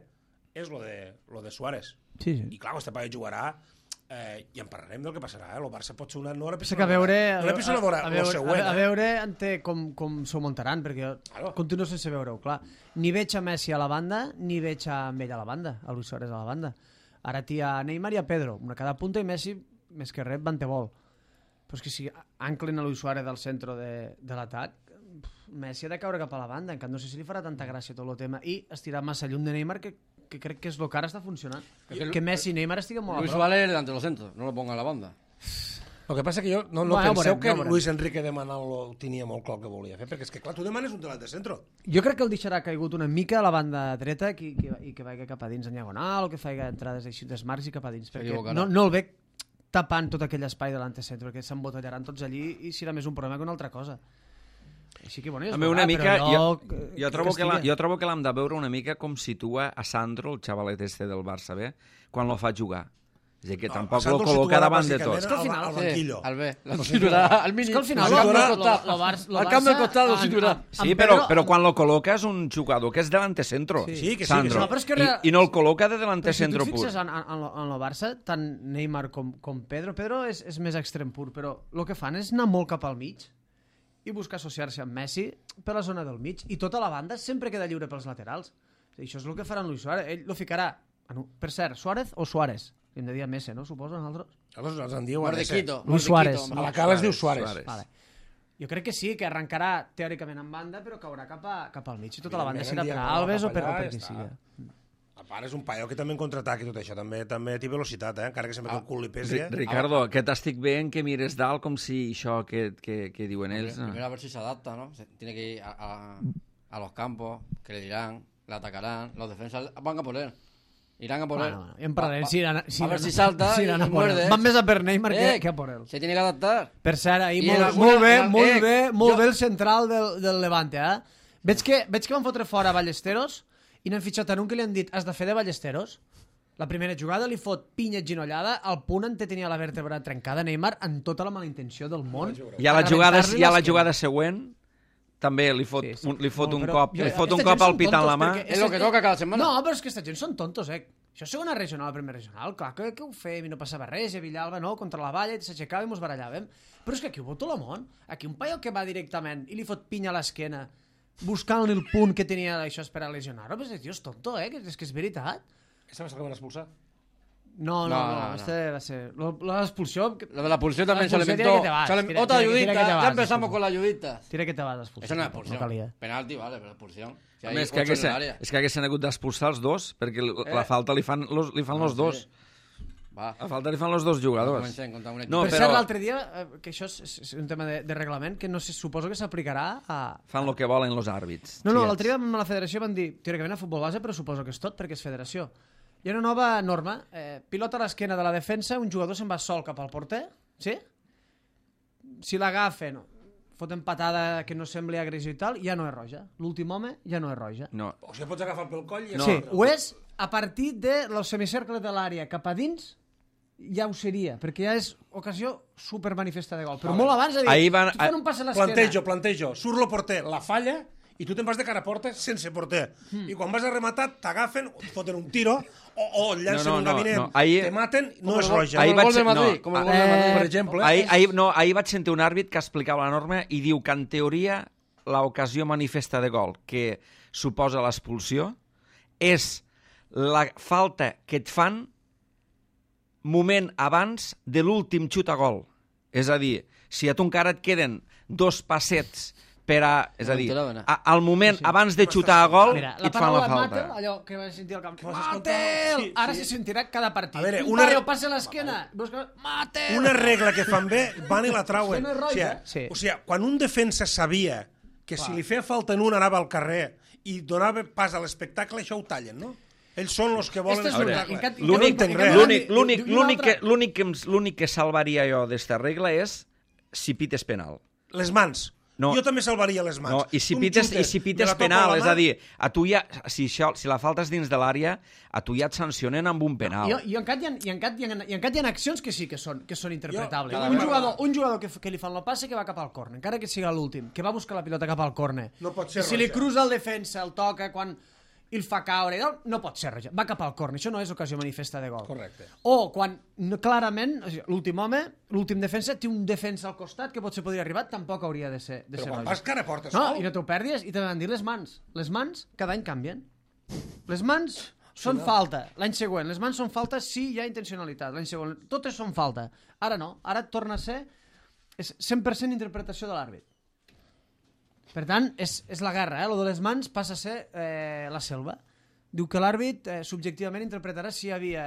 és lo de, lo de Suárez. Sí, sí. I clar, este paio jugarà eh, i en parlarem del que passarà, eh? El Barça pot ser una, no una Pensa que a veure, una episodadora, a, a, lo veure, següent, a, a eh? veure ante com, com s'ho muntaran, perquè jo Claro. continuo sense veure-ho, clar. Ni veig a Messi a la banda, ni veig a ell a la banda, a Luis Suárez a la banda. Ara t'hi ha Neymar i a Pedro, una a cada punta, i Messi, més que res, van te vol. Però és que si anclen a Luis Suárez al centre de, de l'atac, Messi ha de caure cap a la banda, encara no sé si li farà tanta gràcia tot el tema, i estirar massa lluny de Neymar, que, que crec que és el que ara està funcionant. que Que Messi i Neymar estiguen molt Luis a prop. Suárez delante de los centros, no lo ponga en la banda. El que passa que jo no, no Bueno, ja ho penseu veurem, que ja ho veurem. Luis Enrique demanant-lo ho tenia molt clar el que volia fer, perquè és que clar, tu demanes un delat de centre. Jo crec que el deixarà caigut una mica a la banda dreta i que, i que vagi cap a dins en diagonal o que faci entrades així d'esmarcs i cap a dins, perquè S'equivocarà. no, no el veig tapant tot aquell espai de l'antecentre, perquè s'embotellaran tots allí i serà més un problema que una altra cosa. Així que, bueno, ja es També una veurà, mica, però jo, jo, jo, trobo que la, estigui. jo trobo que l'hem de veure una mica com situa a Sandro, el xavalet este del Barça B, quan lo fa jugar. És a dir, que No, tampoc Sandro lo el col·loca situarà davant de bàsicament tots. que al al- final- al Sí, banquillo. al B. Lo No, situarà al És mínim. que al final Al lo, camp lo, del lo, costat. lo, Bar- lo Al camp del Barça costat lo en- situarà. en- Sí, en però, Pedro- però quan lo col·loca és un jugador que és delante centro, Sí, que sí, que Sandro. sí. No, però és que I, real- I no el col·loca de delante Però si tu centro et pur. fixes en, en, en, lo, en lo Barça, tant Neymar com, com Pedro, Pedro és, és més extrem pur, però el que fan és anar molt cap al mig i buscar associar-se amb Messi per la zona del mig, i tota la banda sempre queda lliure pels laterals. I això és el que farà en Luis Suárez. Ell lo ficarà, en un- per cert, Suárez o Suárez? Li hem de dir a Messi, no? Suposo, nosaltres? Aleshores ens en diuen ese. Mordequito. Luis Suárez. A la cala es diu Suárez. Suárez. Vale. Jo crec que sí, que arrencarà teòricament en banda, però caurà cap, a, cap al mig, i tota la banda serà per Evidentment, Alves o cap per, o allà per i qui ja sigui. A part, és un paio que també en contraatac i tot això. També també té velocitat, eh? Encara que sempre té el cul li pesi. Ri- Eh? Ricardo, que t'estic veient que mires dalt com si això que, que, que diuen ells... no? Primero a ver si se adapta, ¿no? Se- Tiene que ir a, a, a los campos, que le dirán, le atacarán, los defensas van a por él. Irán a por él. Bueno, bueno, ja en parlarem. Si iran, si a ver iran- si salta si y, iran a y por él. muerde. Van més a per Neymar que, Eh, que a por él. Se tiene que adaptar. Per cert, ahir I molt, en alguna- molt bé, en- molt eh, bé, molt jo- bé el central del, del Levante, eh? Veig que, veig que van fotre fora Ballesteros i n'han fitxat en un que li han dit has de fer de Ballesteros. La primera jugada li fot pinya ginollada al punt en què tenia la vèrtebra trencada Neymar amb tota la mala intenció del món. I a la jugada, rebentar-li i a la l'esquena. jugada següent també li fot, Sí, sí. un, li fot No, un però cop, jo- li fot un aquesta cop gent al són pit en la tontos mà. perquè És lo que toca cada setmana. No, però és que aquesta gent són tontos, eh? Això és segona regional, primera regional. Clar que, que ho fem i no passava res, i a Villalba, no? Contra la valla, s'aixecava i mos barallàvem. Però és que aquí ho veu tot el món. Aquí un paio que va directament i li fot pinya a l'esquena buscant-li el punt que tenia això és per a lesionar-ho, però és, tio, és tonto, eh? Que és que és veritat. Aquesta va ser la que van expulsar. No, no, No, no, no, no. este va ser... lo- L'expulsió... Lo de la expulsión también se La le expulsión inventó. tiene que te vas, se le- tira- Otra tira- tira ayudita. que te Ya vas, empezamos expulsión. con las ayuditas. Tira que te vas expulsar. Eso no es No expulsión. calia. Penalti, vale, pero expulsión. Si hay Més que ocho en el haguessin, área. és que haguessin hagut d'expulsar els dos, perquè l- la Eh. falta li fan los, li fan No, los dos. sí. Va. La falta li fan los dos jugadors. Comencem contra un equip. No, per però- cert, l'altre dia, eh, que això és, és un tema de, de reglament, que no sé, suposo que s'aplicarà a... Fan el que volen los àrbits. No, no, xiquets. l'altre dia amb la federació van dir, teòricament a futbol base, però suposo que és tot, perquè és federació. Hi ha una nova norma, eh, pilota a l'esquena de la defensa, un jugador se'n va sol cap al porter, sí? Si l'agafen, foten patada que no sembli agressió i tal, ja no és roja. L'últim home ja no és roja. No, O sigui, pots agafar pel coll i... No. Sí, ho és a partir de los semicercles de l'àrea cap a dins, ja ho seria, perquè ja és ocasió supermanifesta de gol. Però molt abans de dir, Ahir van- tu fan un pas a l'esquena. Plantejo, plantejo. Surt el porter, la falla, i tu te'n vas de cara a porta sense porter. Hmm. I quan vas a rematar, t'agafen, et foten un tiro, o, o et llancen No, no, un no, gabinet, no. Ahir- te maten, no Com és el gol- roja. Com Ahir el vaig gol de ser- Madrid. no, Com el ah, gol de Madrid. Per exemple, ahir, ahir, no, ahir vaig sentir un àrbit que explicava la norma i diu que en teoria l'ocasió manifesta de gol que suposa l'expulsió és la falta que et fan moment abans de l'últim xut a gol. És a dir, si a tu encara et queden dos passets per a... És a dir, M'enteraven, eh? a, al moment abans de xutar a gol Mira, i la et fan paraula la falta. Matel, allò que vas sentir al camp, vas escoltar? Matel! Sí, Ara sí. se sentirà cada partit. A veure, un una- paio passa a l'esquena, busca... Matel! Una regla que fan bé, van i la trauen. Això no és O roja. sigui, Sí. o sigui, quan un defensa sabia que si li feia falta en un anava al carrer i donava pas a l'espectacle, això ho tallen, no? Ells són els que volen Esta és l'espectacle. una- en cap- Jo no L'únic entenc en res. cap- l'únic- Diu- l'únic- diu una l'únic que, altra- l'únic que, em- l'únic que salvaria jo d'esta regla és si pites penal. Les mans. No. Jo també salvaria les mans. No, i si Un pites, xute, i si me pites la toco penal, la és mà, a dir, a tu ja, si, això, si la falta és dins de l'àrea, a tu ja et sancionen amb un penal. I, i, encat hi ha, i, encat hi ha, i encat hi ha accions que sí que són, que són interpretables. cada un, vegada. jugador, un jugador que, f- que li fan el passe que va cap al córner, encara que siga l'últim, que va buscar la pilota cap al córner. No pot ser I si li roja. cruza el defensa, el toca, quan i el fa caure, i tal, no pot ser roja. Va cap al córner, això no és ocasió manifesta de gol. Correcte. O quan no, clarament, o sigui, l'últim home, l'últim defensa, té un defensa al costat que potser podria arribar, tampoc hauria de ser, de Però ser quan roja. vas cara a porta No, sol... i no t'ho perdis, i també van dir les mans. Les mans cada any canvien. Les mans són falta. L'any següent, les mans són falta si hi ha intencionalitat. L'any següent, totes són falta. Ara no, ara torna a ser és cent per cent interpretació de l'àrbit. Per tant, és, és la guerra, eh? Lo de les mans passa a ser eh, la selva. Diu que l'àrbit eh, subjectivament interpretarà si hi havia...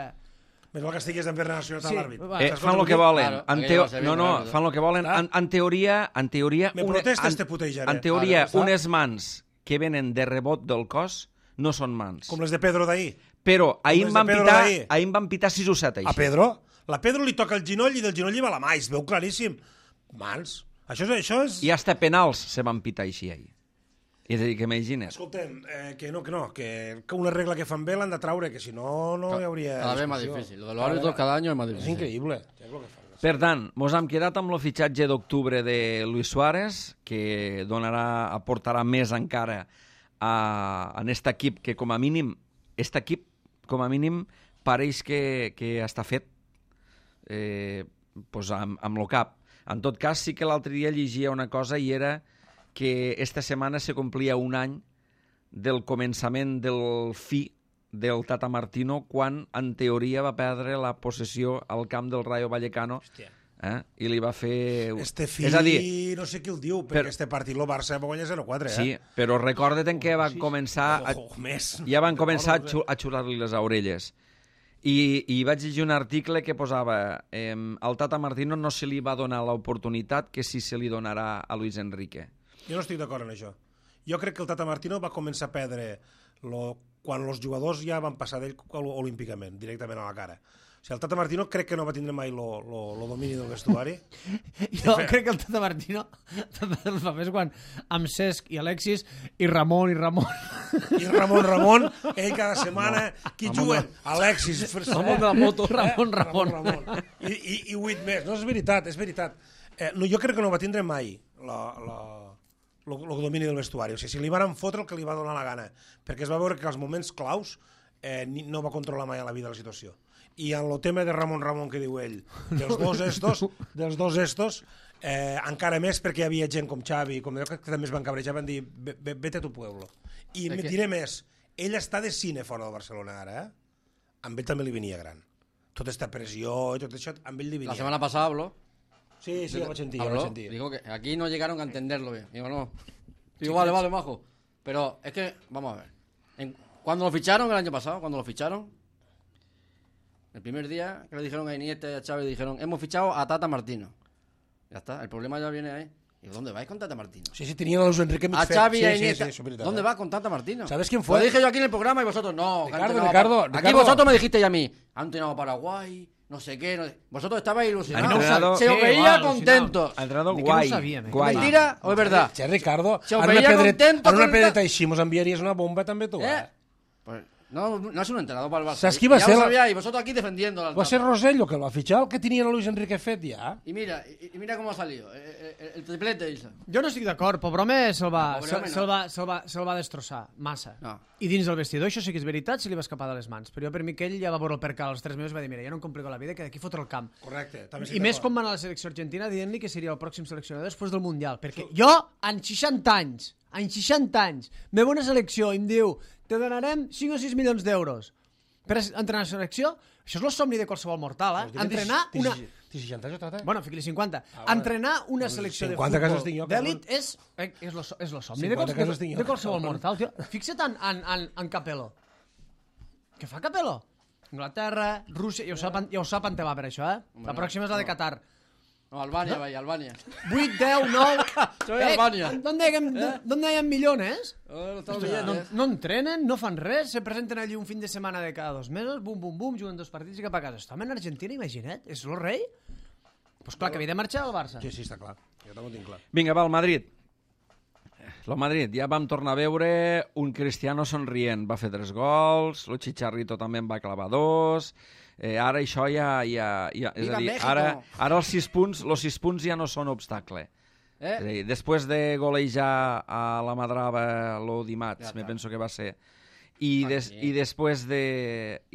Més val que estigués en Ferran Nacional Sí, l'àrbit. va. Eh, Saps fan què el que vull dir? volen. Claro, en aquello teo... va ser No, bien no, rápido. fan el que volen. Clar. En, en teoria, en teoria, Me une- protestes, en- te putejaré. En teoria, Claro, clar. unes mans que venen de rebot del cos no són mans. Com les de Pedro d'ahir. Però ahir les em de van Pedro pitar, d'ahir. ahir em van pitar sis o set, A així. Pedro? La Pedro li toca el ginoll i del ginoll li va la mà, i es veu claríssim. Mans. Això és... Això és... I hasta penals se van pitar així ahir. És a dir, que imagina't. Escolta'm, eh, que no, que no, que, que una regla que fan bé l'han de traure, que si no, no hi hauria Cada vez más discussió. difícil. Lo de los árbitros cada año es más És difícil. increïble. És el que fan. Per tant, mos hem quedat amb el fitxatge d'octubre de Luis Suárez, que donarà, aportarà més encara a, en aquest equip que, com a mínim, aquest equip, com a mínim, pareix que, que està fet eh, pues amb, amb lo cap. En tot cas, sí que l'altre dia llegia una cosa i era que esta setmana se complia un any del començament del fi del Tata Martino quan, en teoria, va perdre la possessió al camp del Rayo Vallecano eh? I li va fer... Este fi, és a dir, no sé qui el diu, perquè per... este partit el Barça va guanyar zero quatre, eh? Sí, però recorda't en què van començar... A... Oh, més. Ja van començar a, xu a xurar-li les orelles. I, I vaig llegir un article que posava eh, al Tata Martino no se li va donar l'oportunitat que sí se li donarà a Luis Enrique. Jo no estic d'acord en això. Jo crec que el Tata Martino va començar a perdre lo... quan els jugadors ja van passar d'ell olímpicament, directament a la cara. O sigui, el Tata Martino crec que no va tindre mai lo, lo, lo domini del vestuari. Jo crec que el Tata Martino els papers quan amb Cesc i Alexis i Ramon i Ramon. I Ramon Ramon, ell cada setmana, no. Qui juguen? Alexis. Ramon de la moto. Ramon Ramon. Ramon, Ramon. I, i, i vuit més. No, és veritat, és veritat. Eh, no, jo crec que no va tindre mai la... la... el domini del vestuari. O sigui, si li van fotre el que li va donar la gana, perquè es va veure que als moments claus eh, no va controlar mai a la vida la situació. I en el tema de Ramon Ramon que diu ell, dels dos estos, dels dos estos, eh, encara més perquè hi havia gent com Xavi, com jo, que també es van cabrejar, van dir, vete a tu pueblo. I me diré més, ell està de cine fora del Barcelona ara, eh? Amb ell també li venia gran. Tota aquesta pressió i tot això, amb ell li venia. La setmana passada habló. Sí, sí, ya lo sentí, ya lo sentí. Digo que aquí no llegaron a entenderlo bien. Digo, no. Digo, vale, vale, majo. Pero es que, vamos a ver. En, cuando lo ficharon el año pasado, cuando lo ficharon, el primer día que le dijeron a Iniesta y a Xavi, dijeron, hemos fichado a Tata Martino. Ya está, el problema ya viene ahí. Digo, ¿dónde vais con Tata Martino? Sí, sí, tenían a Luis Enrique A Xavi y sí, a Iniesta. sí, sí, sí, ¿Dónde va con Tata Martino? ¿Sabes quién fue? Lo dije yo aquí en el programa y vosotros no. Ricardo, no, Ricardo, Aquí Ricardo. vosotros me dijisteis a mí, han entrenado a Paraguay, no sé qué. No sé. Vosotros estabais ilusionados. Entrenado- Se os Sí, veía igual, contentos. Ha entrenado Ni que guai, no sabíem, eh? guai. ¿Mentira o es verdad? Che, Ricardo, Se os ara una veia pedreta, contento ara una con el pedreta ta- així mos enviaries una bomba també tu, eh? ¿Eh? Pues, no, no es un entrenador para el Barça. ¿Sabes qué iba a Ya ser lo la- sabíais, y vosotros aquí defendiendo al Va ser Tata. Rosello que el va fitxar, el que tenien a Luis Enrique fet ja. Y mira, y, y mira cómo ha salido. El, el, el triplete, Isa. Jo no estic d'acord, pobre home se'l va, Pobre se, home, no. se'l va, se'l va, se'l va destrossar massa. No. I dins del vestidor, això sí que és veritat, se li va escapar de les mans. Però jo per mi que ell ja va veure el percal als tres mesos i va dir, mira, jo no em complico la vida, que d'aquí fotre el camp. Correcte. També I més com va anar a la selecció argentina dient-li que seria el pròxim seleccionador després del Mundial. Perquè jo, en seixanta anys, en seixanta anys, me ve una selecció i em diu te donarem cinc o sis milions d'euros per entrenar a la selecció. Això és el somni de qualsevol mortal, eh? Entrenar una... Té seixanta anys o trata? Bueno, fiqui-li cinquanta. Ah, vale. Entrenar una selecció de cinquanta cases tinc futbol jo, d'èlit és, eh, és, lo, és lo somni de, cinquanta quals, cases tinc de, jo. de qualsevol mortal, tio. Fixa't en, en, en, en Capello. Què fa Capello? Anglaterra, Rússia, ja ho sap, ja ho sap on te va per això, eh? La pròxima és la de Qatar. No, Albania, vaya, Albania. vuit, deu, nou... Soy Albania. ¿Dónde hay, ¿Dónde hay millones? Oh, lo estamos No, viendo, no, eh. no entrenen, no fan res, se presenten allí un fin de setmana de cada dos mesos, bum, bum, bum, juguen dos partits i cap a casa. Estem en Argentina, imagina't, és el rei. Pues clar, que havia de marxar al Barça. Sí, sí, està clar. Jo també ho tinc clar. Vinga, va, el Madrid. El Madrid, ja vam tornar a veure un Cristiano somrient. Va fer tres gols, el Chicharrito també en va clavar dos... Eh, ara això ja... ja, ja és Viva a dir, México! ara, ara els sis punts, els sis punts ja no són obstacle. Eh? És a dir, després de golejar a la Madrava lo dimarts, Ja me està. penso que va ser, i, des, Aquí. i, després de,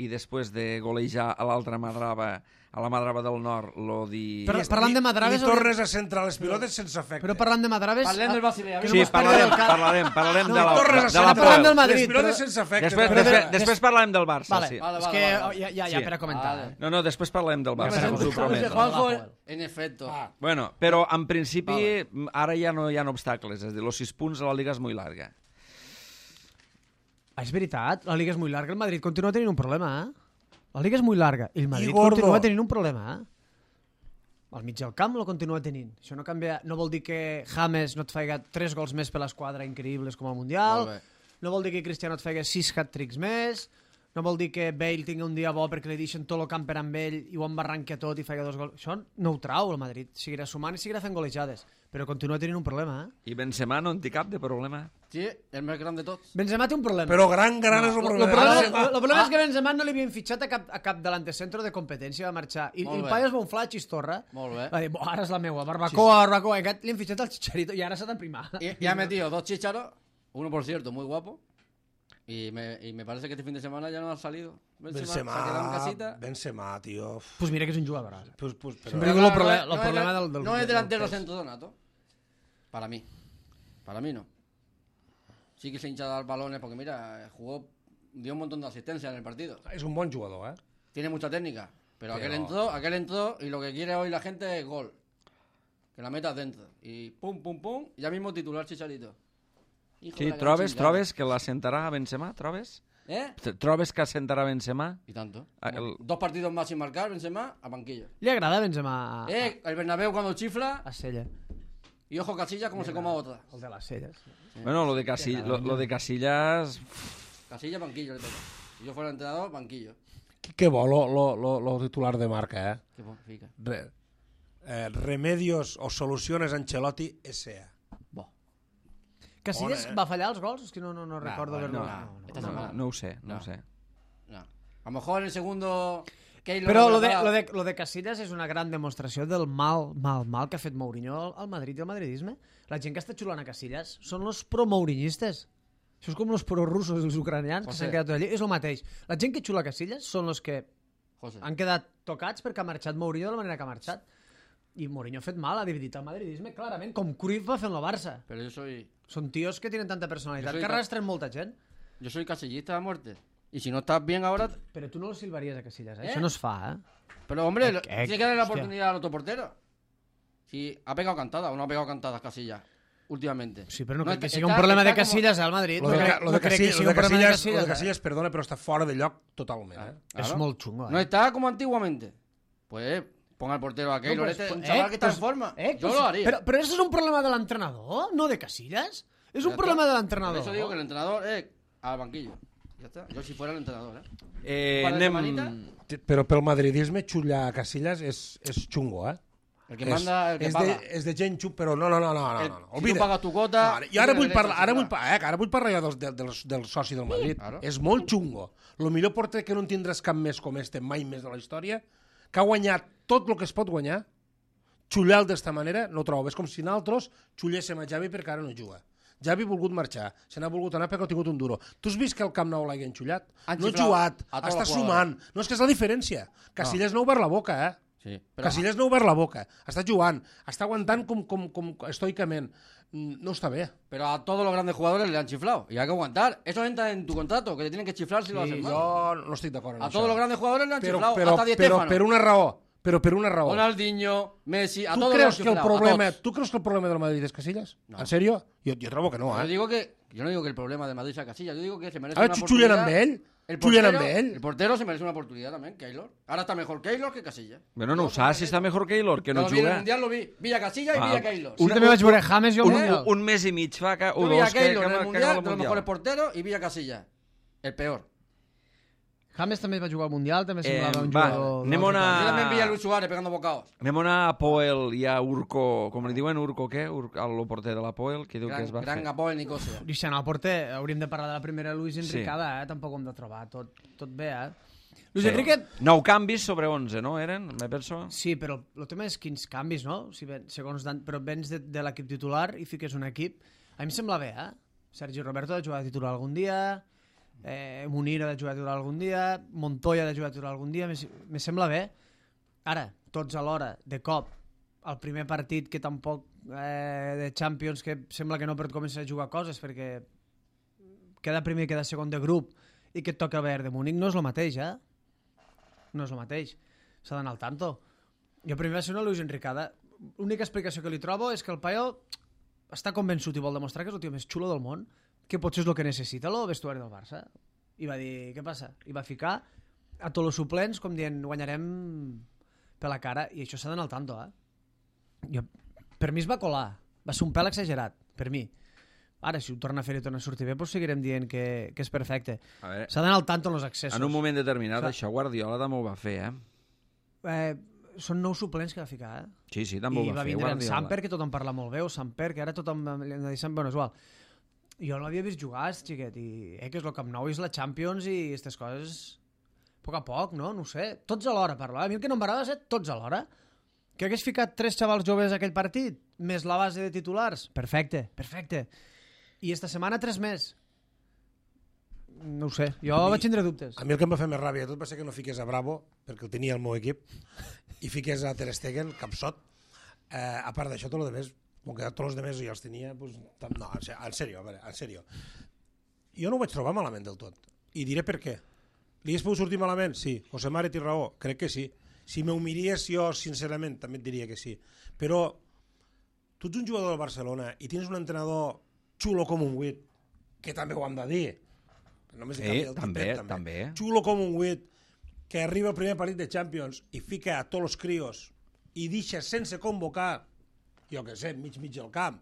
i després de golejar a l'altra Madrava, a la Madrava del Nord, lo di... Però- parlant de Madraves... I tornes a centrar les pilotes sense efecte. Però parlant de Madraves... Parlem del Basilea. que no Sí, mos parli parlarem, del cap. parlarem, parlarem No, de la, tornes a de la centrar parlant del Poel. Madrid, les pilotes però- sense efecte. Després, però- després, després parlarem del Barça, Vale, sí. Vale, és vale, que vale, vale. ja, ja, ja Sí. per a comentar. Vale. eh? No, no, després parlarem del Barça, Vale, us ho vale. prometo. Juanjo, Joel. en efecto. Ah, Bueno, però en principi ara ja no hi ha obstacles, és a dir, els sis punts a la Liga és molt llarga. Ah, és veritat, la Liga és molt llarga, el Madrid continua tenint un problema, eh? La Liga és molt llarga i el Madrid gordo. continua tenint un problema, eh? Al mig del camp lo continua tenint. Això no canvia, no vol dir que James no et faiga tres gols més per l'esquadra increïbles com al Mundial, Molt bé. no vol dir que Cristiano et faiga sis hat-tricks més, no vol dir que Bale tingui un dia bo perquè li deixen tot el camp per amb ell i ho embarranca tot i faig dos gols. Això no ho trau el Madrid. Seguirà sumant i seguirà fent golejades. Però continua tenint un problema, eh? I Benzema no en té cap de problema? Sí, el més gran de tots. Benzema té un problema. Però gran, gran és el El problema. problema, el problema és que Benzema no li havien fitxat a cap, a cap delantecentro de competència, va marxar. I, i Molt el bé. paio es va unflar a Chistorra. Molt bé. Va dir, "Bo, ara és la meua, barbacoa, barbacoa. I aquest li han fitxat al Chicharito i ara s'ha d'emprimar. Y, y ha metido dos chicharos, uno por cierto, muy guapo. Y me, y me parece que este fin de semana ya no ha salido. Benzema, se ha quedado en Benzema, casita. Benzema, tio. Pues mira que és un jugador. Pues, pues, però... Sempre Pero digo el, claro, proble- no el es- problema no del, del... No es del- delantero del- centro donato. Para mí. Para mí no. Sí que se hincha a dar balones porque mira, jugó, dio un montón de asistencia en el partido. És un bon jugador, eh? Tiene mucha técnica. Pero, Pero- aquel entró, aquel entró y lo que quiere hoy la gente es gol. Que la metas dentro. Y pum, pum, pum, ya mismo titular Chicharito. Hijo de Sí, la gran trobes, chingada. trobes que l'assentarà a Benzema? Trobes? ¿Eh? Trobes que assentarà Benzema? Y tanto. Ah, el- Dos partidos más sin marcar, Benzema, a banquillo. Li agrada Benzema a, Eh, el Bernabéu cuando chifla a Sella. y ojo Casillas como se coma otra. El de les Selles. Bueno, lo de, Casil lo, lo de Casillas... Casillas, banquillo le toca. Si yo fuera entrenador, banquillo. Que bo, lo, lo, lo, lo titular de marca, eh? Qué bo, fica. Re, eh, remedios o soluciones Ancelotti S A. Bo. Casillas Bona, eh? va fallar els gols? És que no, no, no recordo bueno, haver-lo. no, No, no, esta no. No, semana. no ho sé, no, No. ho sé. No. A lo mejor en el segundo... Keylor Però no lo de, preparado. lo, de, lo de Casillas és una gran demostració del mal, mal, mal que ha fet Mourinho al, al Madrid i al madridisme. La gent que està xulant a Casillas són els pro-mourinistes. Això és com els pro-russos i els ucranians que José. s'han quedat tot allí. És el mateix. La gent que xula a Casillas són els que José. han quedat tocats perquè ha marxat Mourinho de la manera que ha marxat. I Mourinho ha fet mal, ha dividit el madridisme, clarament, com Cruyff va fer en el Barça. Pero yo soy... Són tios que tenen tanta personalitat Jo soy que ca- arrastren molta gent. Yo soy casillista a muerte. Y si no estás bien ahora... Però tu no el silvaries a Casillas, eh? ¿Eh? Això no es fa, eh? Pero hombre, lo- Eh, tiene que darle la hostia. oportunidad al otro portero. Si ha pegado cantada o no ha pegado cantadas Casillas últimamente. Sí, però no, crec está- que sigui un está- problema de está como- Casillas al Madrid. Lo no de, crec, lo no de, crec que Casillas, sigui lo un de problema de Casillas, Casillas. lo de eh? Casillas, perdona, però està fora de lloc totalment, eh? És Claro. molt xungo, eh? No está como antiguamente. Pues ponga al portero a Keylor. pues, este es un eh, chaval que está pues, en forma. eh, Yo pues, lo haría. Però, però això és un problema de l'entrenador, no de Casillas. És un Ya problema está. de l'entrenador. Por eso digo que el entrenador es al banquillo. Ya está. Yo si fuera el entrenador, ¿eh? Eh, Un par de anem... semanitas. Però pel madridisme xullar a Casillas és, és xungo, eh? El que és, manda, el que és paga. De, és de gent xun, però no, no, no, no, no, El- no, no. si Oblida. tu pagas tu quota, No, ara- I ara tienes vull derecho parlar, a ara xullar. vull, pa- eh, ara vull parlar jo del, del, del, del soci del Madrid. claro. És molt xungo. El millor porter que no en tindràs cap més com este, mai més de la història, que ha guanyat tot el que es pot guanyar, xullar d'esta manera, no ho trobo. És com si nosaltres xulléssim a Javi perquè ara no juga. Javi ha volgut marxar, se n'ha volgut anar perquè ha tingut un duro. Tu has vist que el Camp Nou l'hagin xullat? Han No ha xiflat jugat, a tots està els jugadors. sumant. No, és que és la diferència. Casillas no ha obert la boca, eh? Sí, pero Casillas no ha obert la boca. Està jugant, està aguantant com, com, com estoicament. Mm, No està bé. Pero a todos los grandes jugadores le han chiflado. Y hay que aguantar. Eso entra en tu contrato, que te tienen que chiflar si lo Sí, haces mal. jo no estic d'acord amb A això. todos los grandes jugadores le han però, chiflado. però, hasta Di però, Stéfano. per una raó. Però per una raó. Ronaldinho, Messi, a Tu todos creus los que el chiflado, a problema, todos. tu creus que el problema del Madrid és Casillas? No. En sèrio? Jo, jo trobo que no, Yo eh? digo que yo no digo que el problema de Madrid sea Casillas, yo digo que se merece A veure, una xullen oportunidad. amb ell? El Xullen portero, amb ell? el portero se merece una oportunidad también, Keylor. Ahora está mejor Keylor que Casillas. Bueno, no ho saps si està millor Keylor, que Yo no lo vi en el juga. Mundial, lo vi. Villa Casillas y Ah, Villa Keylor. Jo també vaig veure James i el Un, Mundial. un mes i mig fa, que, o Yo vi a dos, que, Keylor que, en el que, Mundial, acaba de el los mejores Mundial. porteros, y Villa Casillas. El peor. James també va jugar al Mundial, també Eh, semblava un va, jugador... anem d'un altre a- Yo país. también vi a Luis Suárez pegando bocaos. Anem a anar a Poel i a Urco, com li diuen, Urco què? Ur el porter de la Poel, que diu que Gran, es va gran fer. Gapó en Nicosia. Deixant el porter, hauríem de parlar de la primera Luis Sí. Enricada, eh? Tampoc ho hem de trobar tot, tot bé, eh? Luis Sí. Enrique... Nou canvis sobre onze, no? Eren, me penso? Sí, però el tema és quins canvis, no? Si ven, segons Dan, però vens de, de l'equip titular i fiques un equip... A mi em sembla bé, eh? Sergi Roberto ha de jugar de titular algun dia, eh, Munir ha de jugar de titular algun dia, Montoya ha de jugar de titular algun dia, me, me sembla bé. Ara, tots alhora, de cop, el primer partit que tampoc eh, de Champions que sembla que no pot començar a jugar coses perquè queda primer, queda segon de grup i que et toca Bayern de Múnich, no és el mateix, eh? No és el mateix. S'ha d'anar al tanto. Jo primer va ser una Luis Enricada. L'única explicació que li trobo és que el paio està convençut i vol demostrar que és el tio més xulo del món, que potser és el que necessita el vestuari del Barça. I va dir, què passa? I va ficar a tots els suplents com dient, guanyarem per la cara, i això s'ha d'anar al tanto, eh? Jo, per mi es va colar. Va ser un pèl exagerat, per mi. Ara, si ho torna a fer i torna a sortir bé, doncs seguirem dient que, que és perfecte. A veure, S'ha d'anar al tanto en els accessos. en un moment determinat, Clar. això Guardiola també ho va fer, eh? Eh, són nous suplents que va ficar, eh? Sí, sí, també I ho va, va fer vindre en Guardiola. Samper, que tothom parla molt bé, o Samper, que ara tothom li han de dir Samper, bueno, és igual. Jo no l'havia vist jugar, és xiquet, i eh, que és el Camp Nou, és la Champions i aquestes coses, a poc a poc, no? No ho sé. Tots alhora, parlar. A mi el que no m'agrada és tots alhora. Que hagués ficat tres xavals joves a aquell partit, més la base de titulars. Perfecte, perfecte. I esta setmana tres més. No ho sé, jo mi- vaig tindre dubtes. A mi el que em va fer més ràbia de tot va ser que no fiqués a Bravo, perquè el tenia al meu equip, i fiqués a Ter Stegen, capsot. Eh, a part d'això, tot el demés, com que tots els demés jo els tenia, pues, tam- no, en se- en sèrio, a veure, en sèrio. Jo no ho vaig trobar malament del tot, i diré per què. Li hagués pogut sortir malament? Sí. José Mare té raó? Crec que sí. Si m'ho miries jo, sincerament, també et diria que sí. Però tu ets un jugador del Barcelona i tens un entrenador xulo com un huit, que també ho hem de dir. Només Sí, li canvia el també, tipet, també. Xulo com un huit, que arriba al primer partit de Champions i fica a tots els crios i deixa sense convocar, jo què sé, mig mig del camp,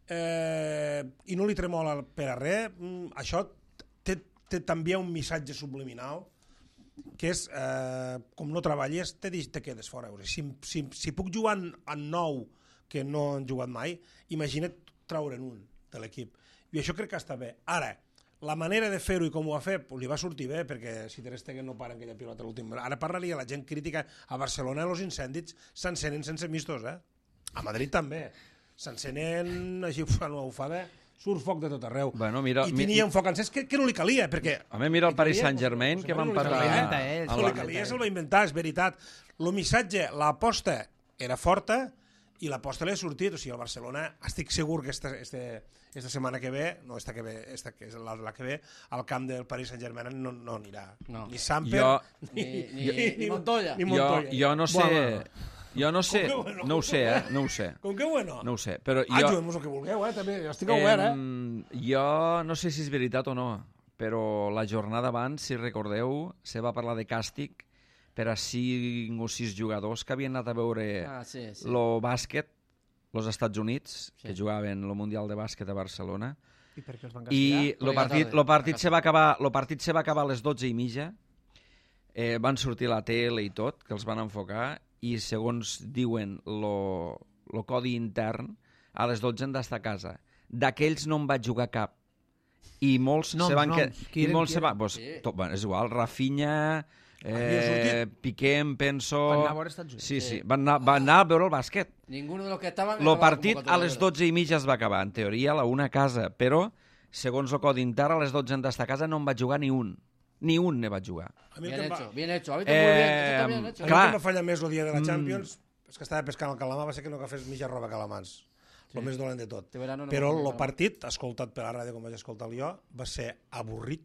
eh, i no li tremola per a res, mm, això té, té també un missatge subliminal, que és, eh, com no treballes, te, te quedes fora. Si, si, si puc jugar en, en nou, que no han jugat mai, imagina't traure'n un de l'equip. I això crec que està bé. Ara, la manera de fer-ho i com ho ha fet, pues, li va sortir bé, perquè si Ter Stegen no para aquella pilota a l'últim... Ara parlaria la gent crítica. A Barcelona els incendis s'encenen sense mistos, eh? A Madrid també. S'encenen així, fan una bufada, surt foc de tot arreu. Bueno, mira, I mi- tenia un foc encès que, que no li calia, perquè... A mi mira el li Paris calia, Saint-Germain, pues, que van no li parlar... calia, inventa ell, a no la- li calia, se'l va inventar, és veritat. El missatge, l'aposta era forta i l'aposta li ha sortit. O sigui, el Barcelona, estic segur que esta, este, esta setmana que ve, no esta que ve, esta que és la, la que ve, al camp del Paris Saint-Germain no, no anirà. No. Ni Samper, Jo- Ni, ni, ni Montoya. ni Jo, Montoya. jo no sé... Bueno, Jo no sé, Com que bueno? no ho sé, eh? No ho sé. com que bueno? No ho sé, però Ah, jo... juguem el que vulgueu, eh? També, jo estic obert, eh? Em, jo no sé si és veritat o no, però la jornada abans, si recordeu, se va parlar de càstig per a cinc o sis jugadors que havien anat a veure Ah, sí, sí. lo bàsquet, los Estats Units, Sí. que jugaven el Mundial de Bàsquet a Barcelona, I per què els van i castigar? lo partit, lo partit, se va acabar, lo partit se va acabar a les dotze i mitja, eh, van sortir a la tele i tot, que els van enfocar, i segons diuen lo, lo codi intern, a les dotze han d'estar a casa. D'aquells no en vaig jugar cap. I molts Noms, se van... noms. Que... Qui I eren, molts qui se van... eren? Pues, Sí. tot, bueno, és igual, Rafinha, Havia eh, sortit? Piqué, em penso... Van anar a veure Estats Units. Sí, sí, Sí. van anar, van anar a veure el bàsquet. Ninguno de los que estaban... El estaba partit convocatoria, a les ¿verdad? dotze i mitja es va acabar. En teoria, a la una a casa, però, segons el codi intern, a les dotze han d'estar a casa, no en vaig jugar ni un. Ni un ne vaig jugar. A mi el Bien que em va, hecho, bien hecho. Ha visto muy bien. Eso está bien Eh, hecho. a mi clar. el que em va fallar més el dia de la Mm. Champions és que estava pescant el calamar, va ser que no agafés mitja roba calamars. El més dolent de tot. Este verano no Però hemos el jugado. partit, escoltat per la ràdio com vaig escoltar jo, va ser avorrit,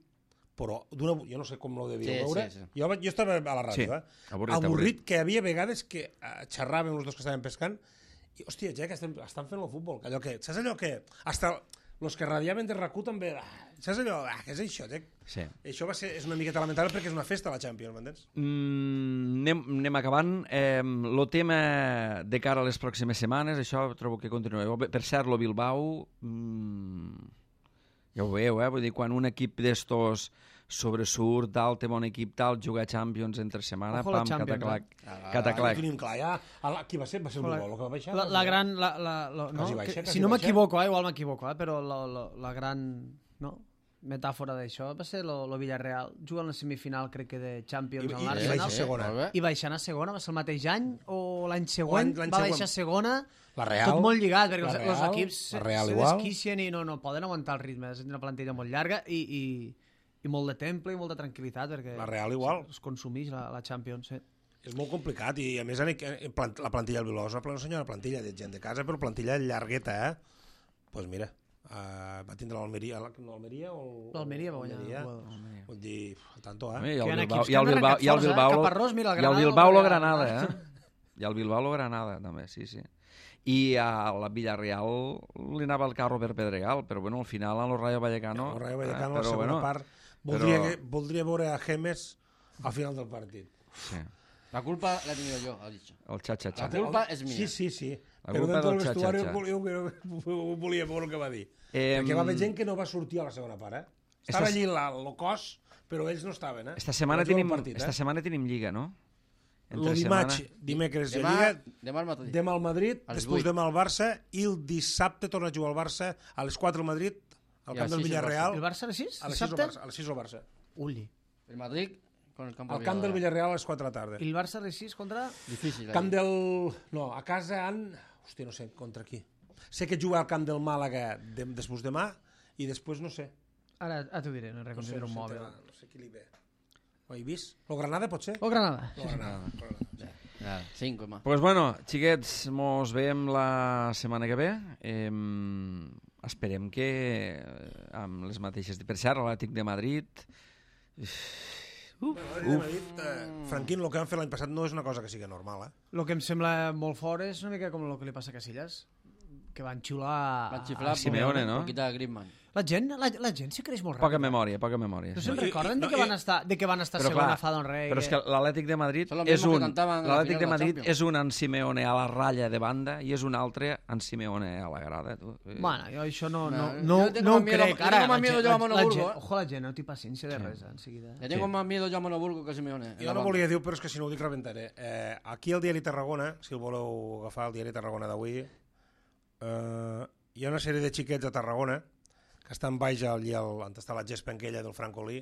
però d'una... Jo no sé com ho devíeu Sí, veure. sí, sí. Jo, vaig- jo estava a la ràdio, Sí, eh? avorrit, avorrit, avorrit. que hi havia vegades que eh, xerràvem els dos que estàvem pescant i, hòstia, ja que estem, estan fent el futbol. Allò que, saps allò que... Hasta els que radiaven de RAC u també... Ah, saps allò? Ah, què és això, Jack? Sí. Això va ser, és una miqueta lamentable perquè és una festa la Champions, m'entens? Mm, anem, anem acabant. Eh, lo tema de cara a les pròximes setmanes, això trobo que continueu. Per cert, lo Bilbao, mm, ja ho veieu, eh? Vull dir, quan un equip d'estos sobresurt, tal, té bon equip, tal, juga a Champions entre setmana, Ojo la pam, Champions, cataclac, Ah, cataclac. ho tenim clar, ja. A la, qui va ser? Va ser el La, Bilbao, el que va baixar? la, la gran... La, la, la, no? Quasi baixa, que, quasi si no baixa. m'equivoco, eh, igual m'equivoco, eh, però la, la, la gran no? metàfora d'això va ser lo, lo Villarreal. Juga en la semifinal, crec que de Champions, I- amb i- i l'Arsenal. baixa a segona. molt bé. I baixant a segona, va ser el mateix any o l'any següent, L'any- l'any va següent. baixar a segona, La Real, tot molt lligat, perquè la els, els Real, equips la se, Real se igual. desquicien i no, no poden aguantar el ritme, és una plantilla molt llarga i, i, i molt de temple i molta tranquil·litat, perquè La Real igual. es consumeix la, la Champions. Sí. És molt complicat i a més en, en, plant, la plantilla del Bilbao és una pla- una senyora plantilla de gent de casa, però plantilla llargueta, eh? Doncs pues mira, uh, va tindre l'Almeria, l'Almeria o... L'Almeria va guanyar. Almeria. Almeria. Vull dir, al tanto, I eh? el Que hi ha Bilbao, equips i que el han Bilbao, arrencat i el forts, eh? Bilbao, Caparrós, mira, el i el Granada Bilbao lo va guanyar. Granada, eh? I el Bilbao lo Granada, també, sí, sí. I a la Villarreal li anava el carro per Pedregal, però bueno, al final a lo Rayo Vallecano... el Rayo Vallecano, eh, la però, segona bueno, part, voldria, però- que, voldria veure a Gemes al final del partit. Sí. La culpa la he tenido yo, ha dicho. El xa-xa-xa. La culpa és mia. Sí, sí, sí. La Però culpa dentro del del vestuari xa-xa-xa. jo, jo, jo volia veure el que va dir. Eh, Perquè va haver gent que no va sortir a la segona part, eh? Estava Esta- allí la, el cos, però ells no estaven, eh? Esta setmana Vaig veure tenim, el partit, esta eh? setmana tenim Lliga, no? Lo dimarts, dimecres hi ha Demà, Lliga, demà al matí. demà al Madrid, A les després vuit. demà al Barça, i el dissabte torna a jugar al Barça, a les quatre al Madrid, al I a camp del les sis al Villarreal, El Barça a les sis? a les sis al Dissabte? Barça. A les sis al Barça. Uli. El Madrid con el campo Al camp del Villarreal a les quatre de la tarda. I el Barça a les sis contra... Difícil. Camp allí. del... No, a casa han... Hòstia, no sé, contra qui. Sé que juga al camp del Màlaga de... després demà, i després no sé. Ara, ara t'ho diré, no No sé, reconsidero no un sé, mòbil. no sé qui li ve. Ho he vist? Lo Granada, pot ser? O Granada. Lo Granada. Nada, cinco más. Pues bueno, xiquets, mos veiem la setmana que ve. Eh, esperem que eh, amb les mateixes... Per cert, l'Atlètic de Madrid... Uf, Uf. Dit, eh, Franquín, el que van fer l'any passat no és una cosa que sigui normal, eh? El que em sembla molt fort és una mica com el que li passa a Casillas, que van xiular... Van xiflar a Simeone, no? por quitar a Griezmann. La gent, la, la gent se creix molt ràpid. Poca memòria, poca memòria. No sí. se'n No, i- recorden i- de, no, que van i- estar, de que van estar Però segona clar, fa d'un rei. Però és que l'Atlètic de Madrid Són los és mismos que un... cantaven a la L'Atlètic final de de la Madrid Champions. és un en Simeone a la ratlla de banda i és un altre en Simeone a la grada. Tu. Bueno, jo això no, no, No, no, yo tengo no más ho miedo- crec. yo Ara, tengo más la miedo gent- yo a la- la Monoburgo, gent- eh. Ojo, la gent, no té paciència de res, eh, enseguida. Le tengo Sí. más miedo yo a Monoburgo que a Simeone. en Jo la no banda. volia dir-ho, però és que si no ho dic rebentaré. Eh, aquí al diari Tarragona, si el voleu agafar, el diari Tarragona d'avui, eh, hi ha una sèrie de xiquets a Tarragona que estan baix allí al, on està la gespa aquella del Francolí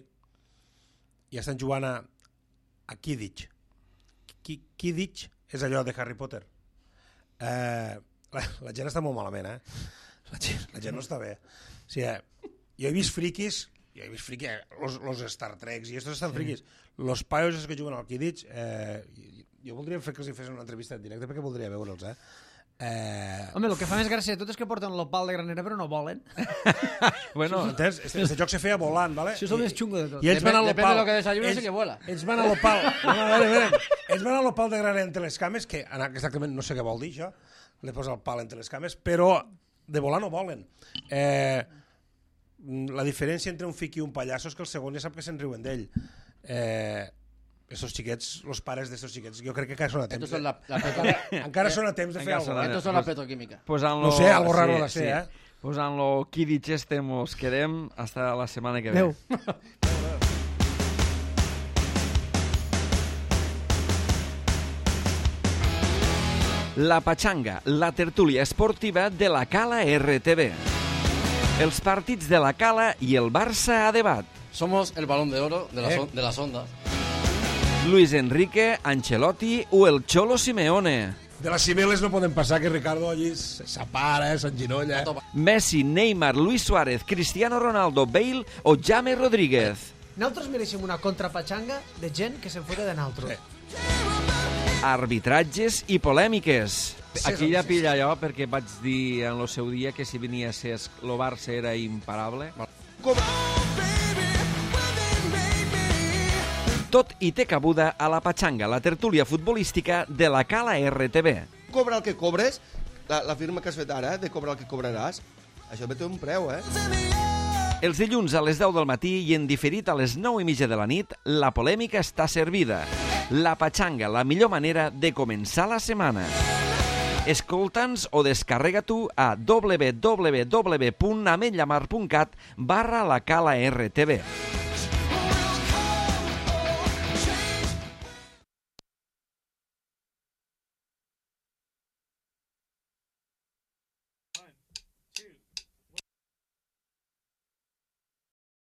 i estan jugant a, a Quidditch. Qui- Quidditch és allò de Harry Potter. Eh, la, la gent està molt malament, eh? La gent, la gent no està bé. O sigui, eh, jo he vist friquis, jo he vist friquis, eh, los, los Star Treks i estos estan sí. friquis. Los paios que juguen al Quidditch, eh, jo voldria fer que els hi fessin una entrevista en directe perquè voldria veure'ls, eh? Eh... Home, el que fa més gràcia de tot és que porten l'opal de granera però no volen. Bueno, Entens? Este, este joc se feia volant, ¿vale? Això és el més xungo de tot. I ells van a Depende- depende l'opal. de lo que desayunes Ells- y que vuela. Ells van a l'opal. No, no, a veure, a veure. Ells van a l'opal de granera entre les cames, que exactament no sé què vol dir això, li posa el pal entre les cames, però de volar no volen. Eh, la diferència entre un fiqui i un pallasso és que el segon ja sap que se'n riuen d'ell. Eh, Estos xiquets, los pares d'estos xiquets, jo crec que encara són a temps. Estos son de- la, la petro- encara, encara són a temps de fer Encara són alguna a- cosa. Estos son la petroquímica. posant-lo... No sé, algo raro ha de ser, eh? Posant-lo Quidditch este mos quedem hasta la setmana que ve. Adéu. La Patxanga, la tertúlia esportiva de la Cala R T V. Els partits de la Cala i el Barça a debat. Somos el balón de oro de, las Eh. on- de las ondas. Luis Enrique, Ancelotti o el Cholo Simeone. De les cimeles no poden passar que Ricardo allí s'apara, s'enginolla. Messi, Neymar, Luis Suárez, Cristiano Ronaldo, Bale o James Rodríguez. Nosaltres mereixem una contrapatxanga de gent que se'n fota de nosaltres. Arbitratges i polèmiques. Aquí ja pilla allò perquè vaig dir en el seu dia que si venia a ser el Barça era imparable. Tot i té cabuda a la Patxanga, la tertúlia futbolística de la Cala R T V. Cobra el que cobres, la, la firma que has fet ara, de cobrar el que cobraràs, això ve té un preu, eh? Els dilluns a les deu del matí i en diferit a les nou i mitja de la nit, la polèmica està servida. La Patxanga, la millor manera de començar la setmana. Escolta'ns o descarrega tu a w w w punt ametllamar punt cat barra la Cala R T V.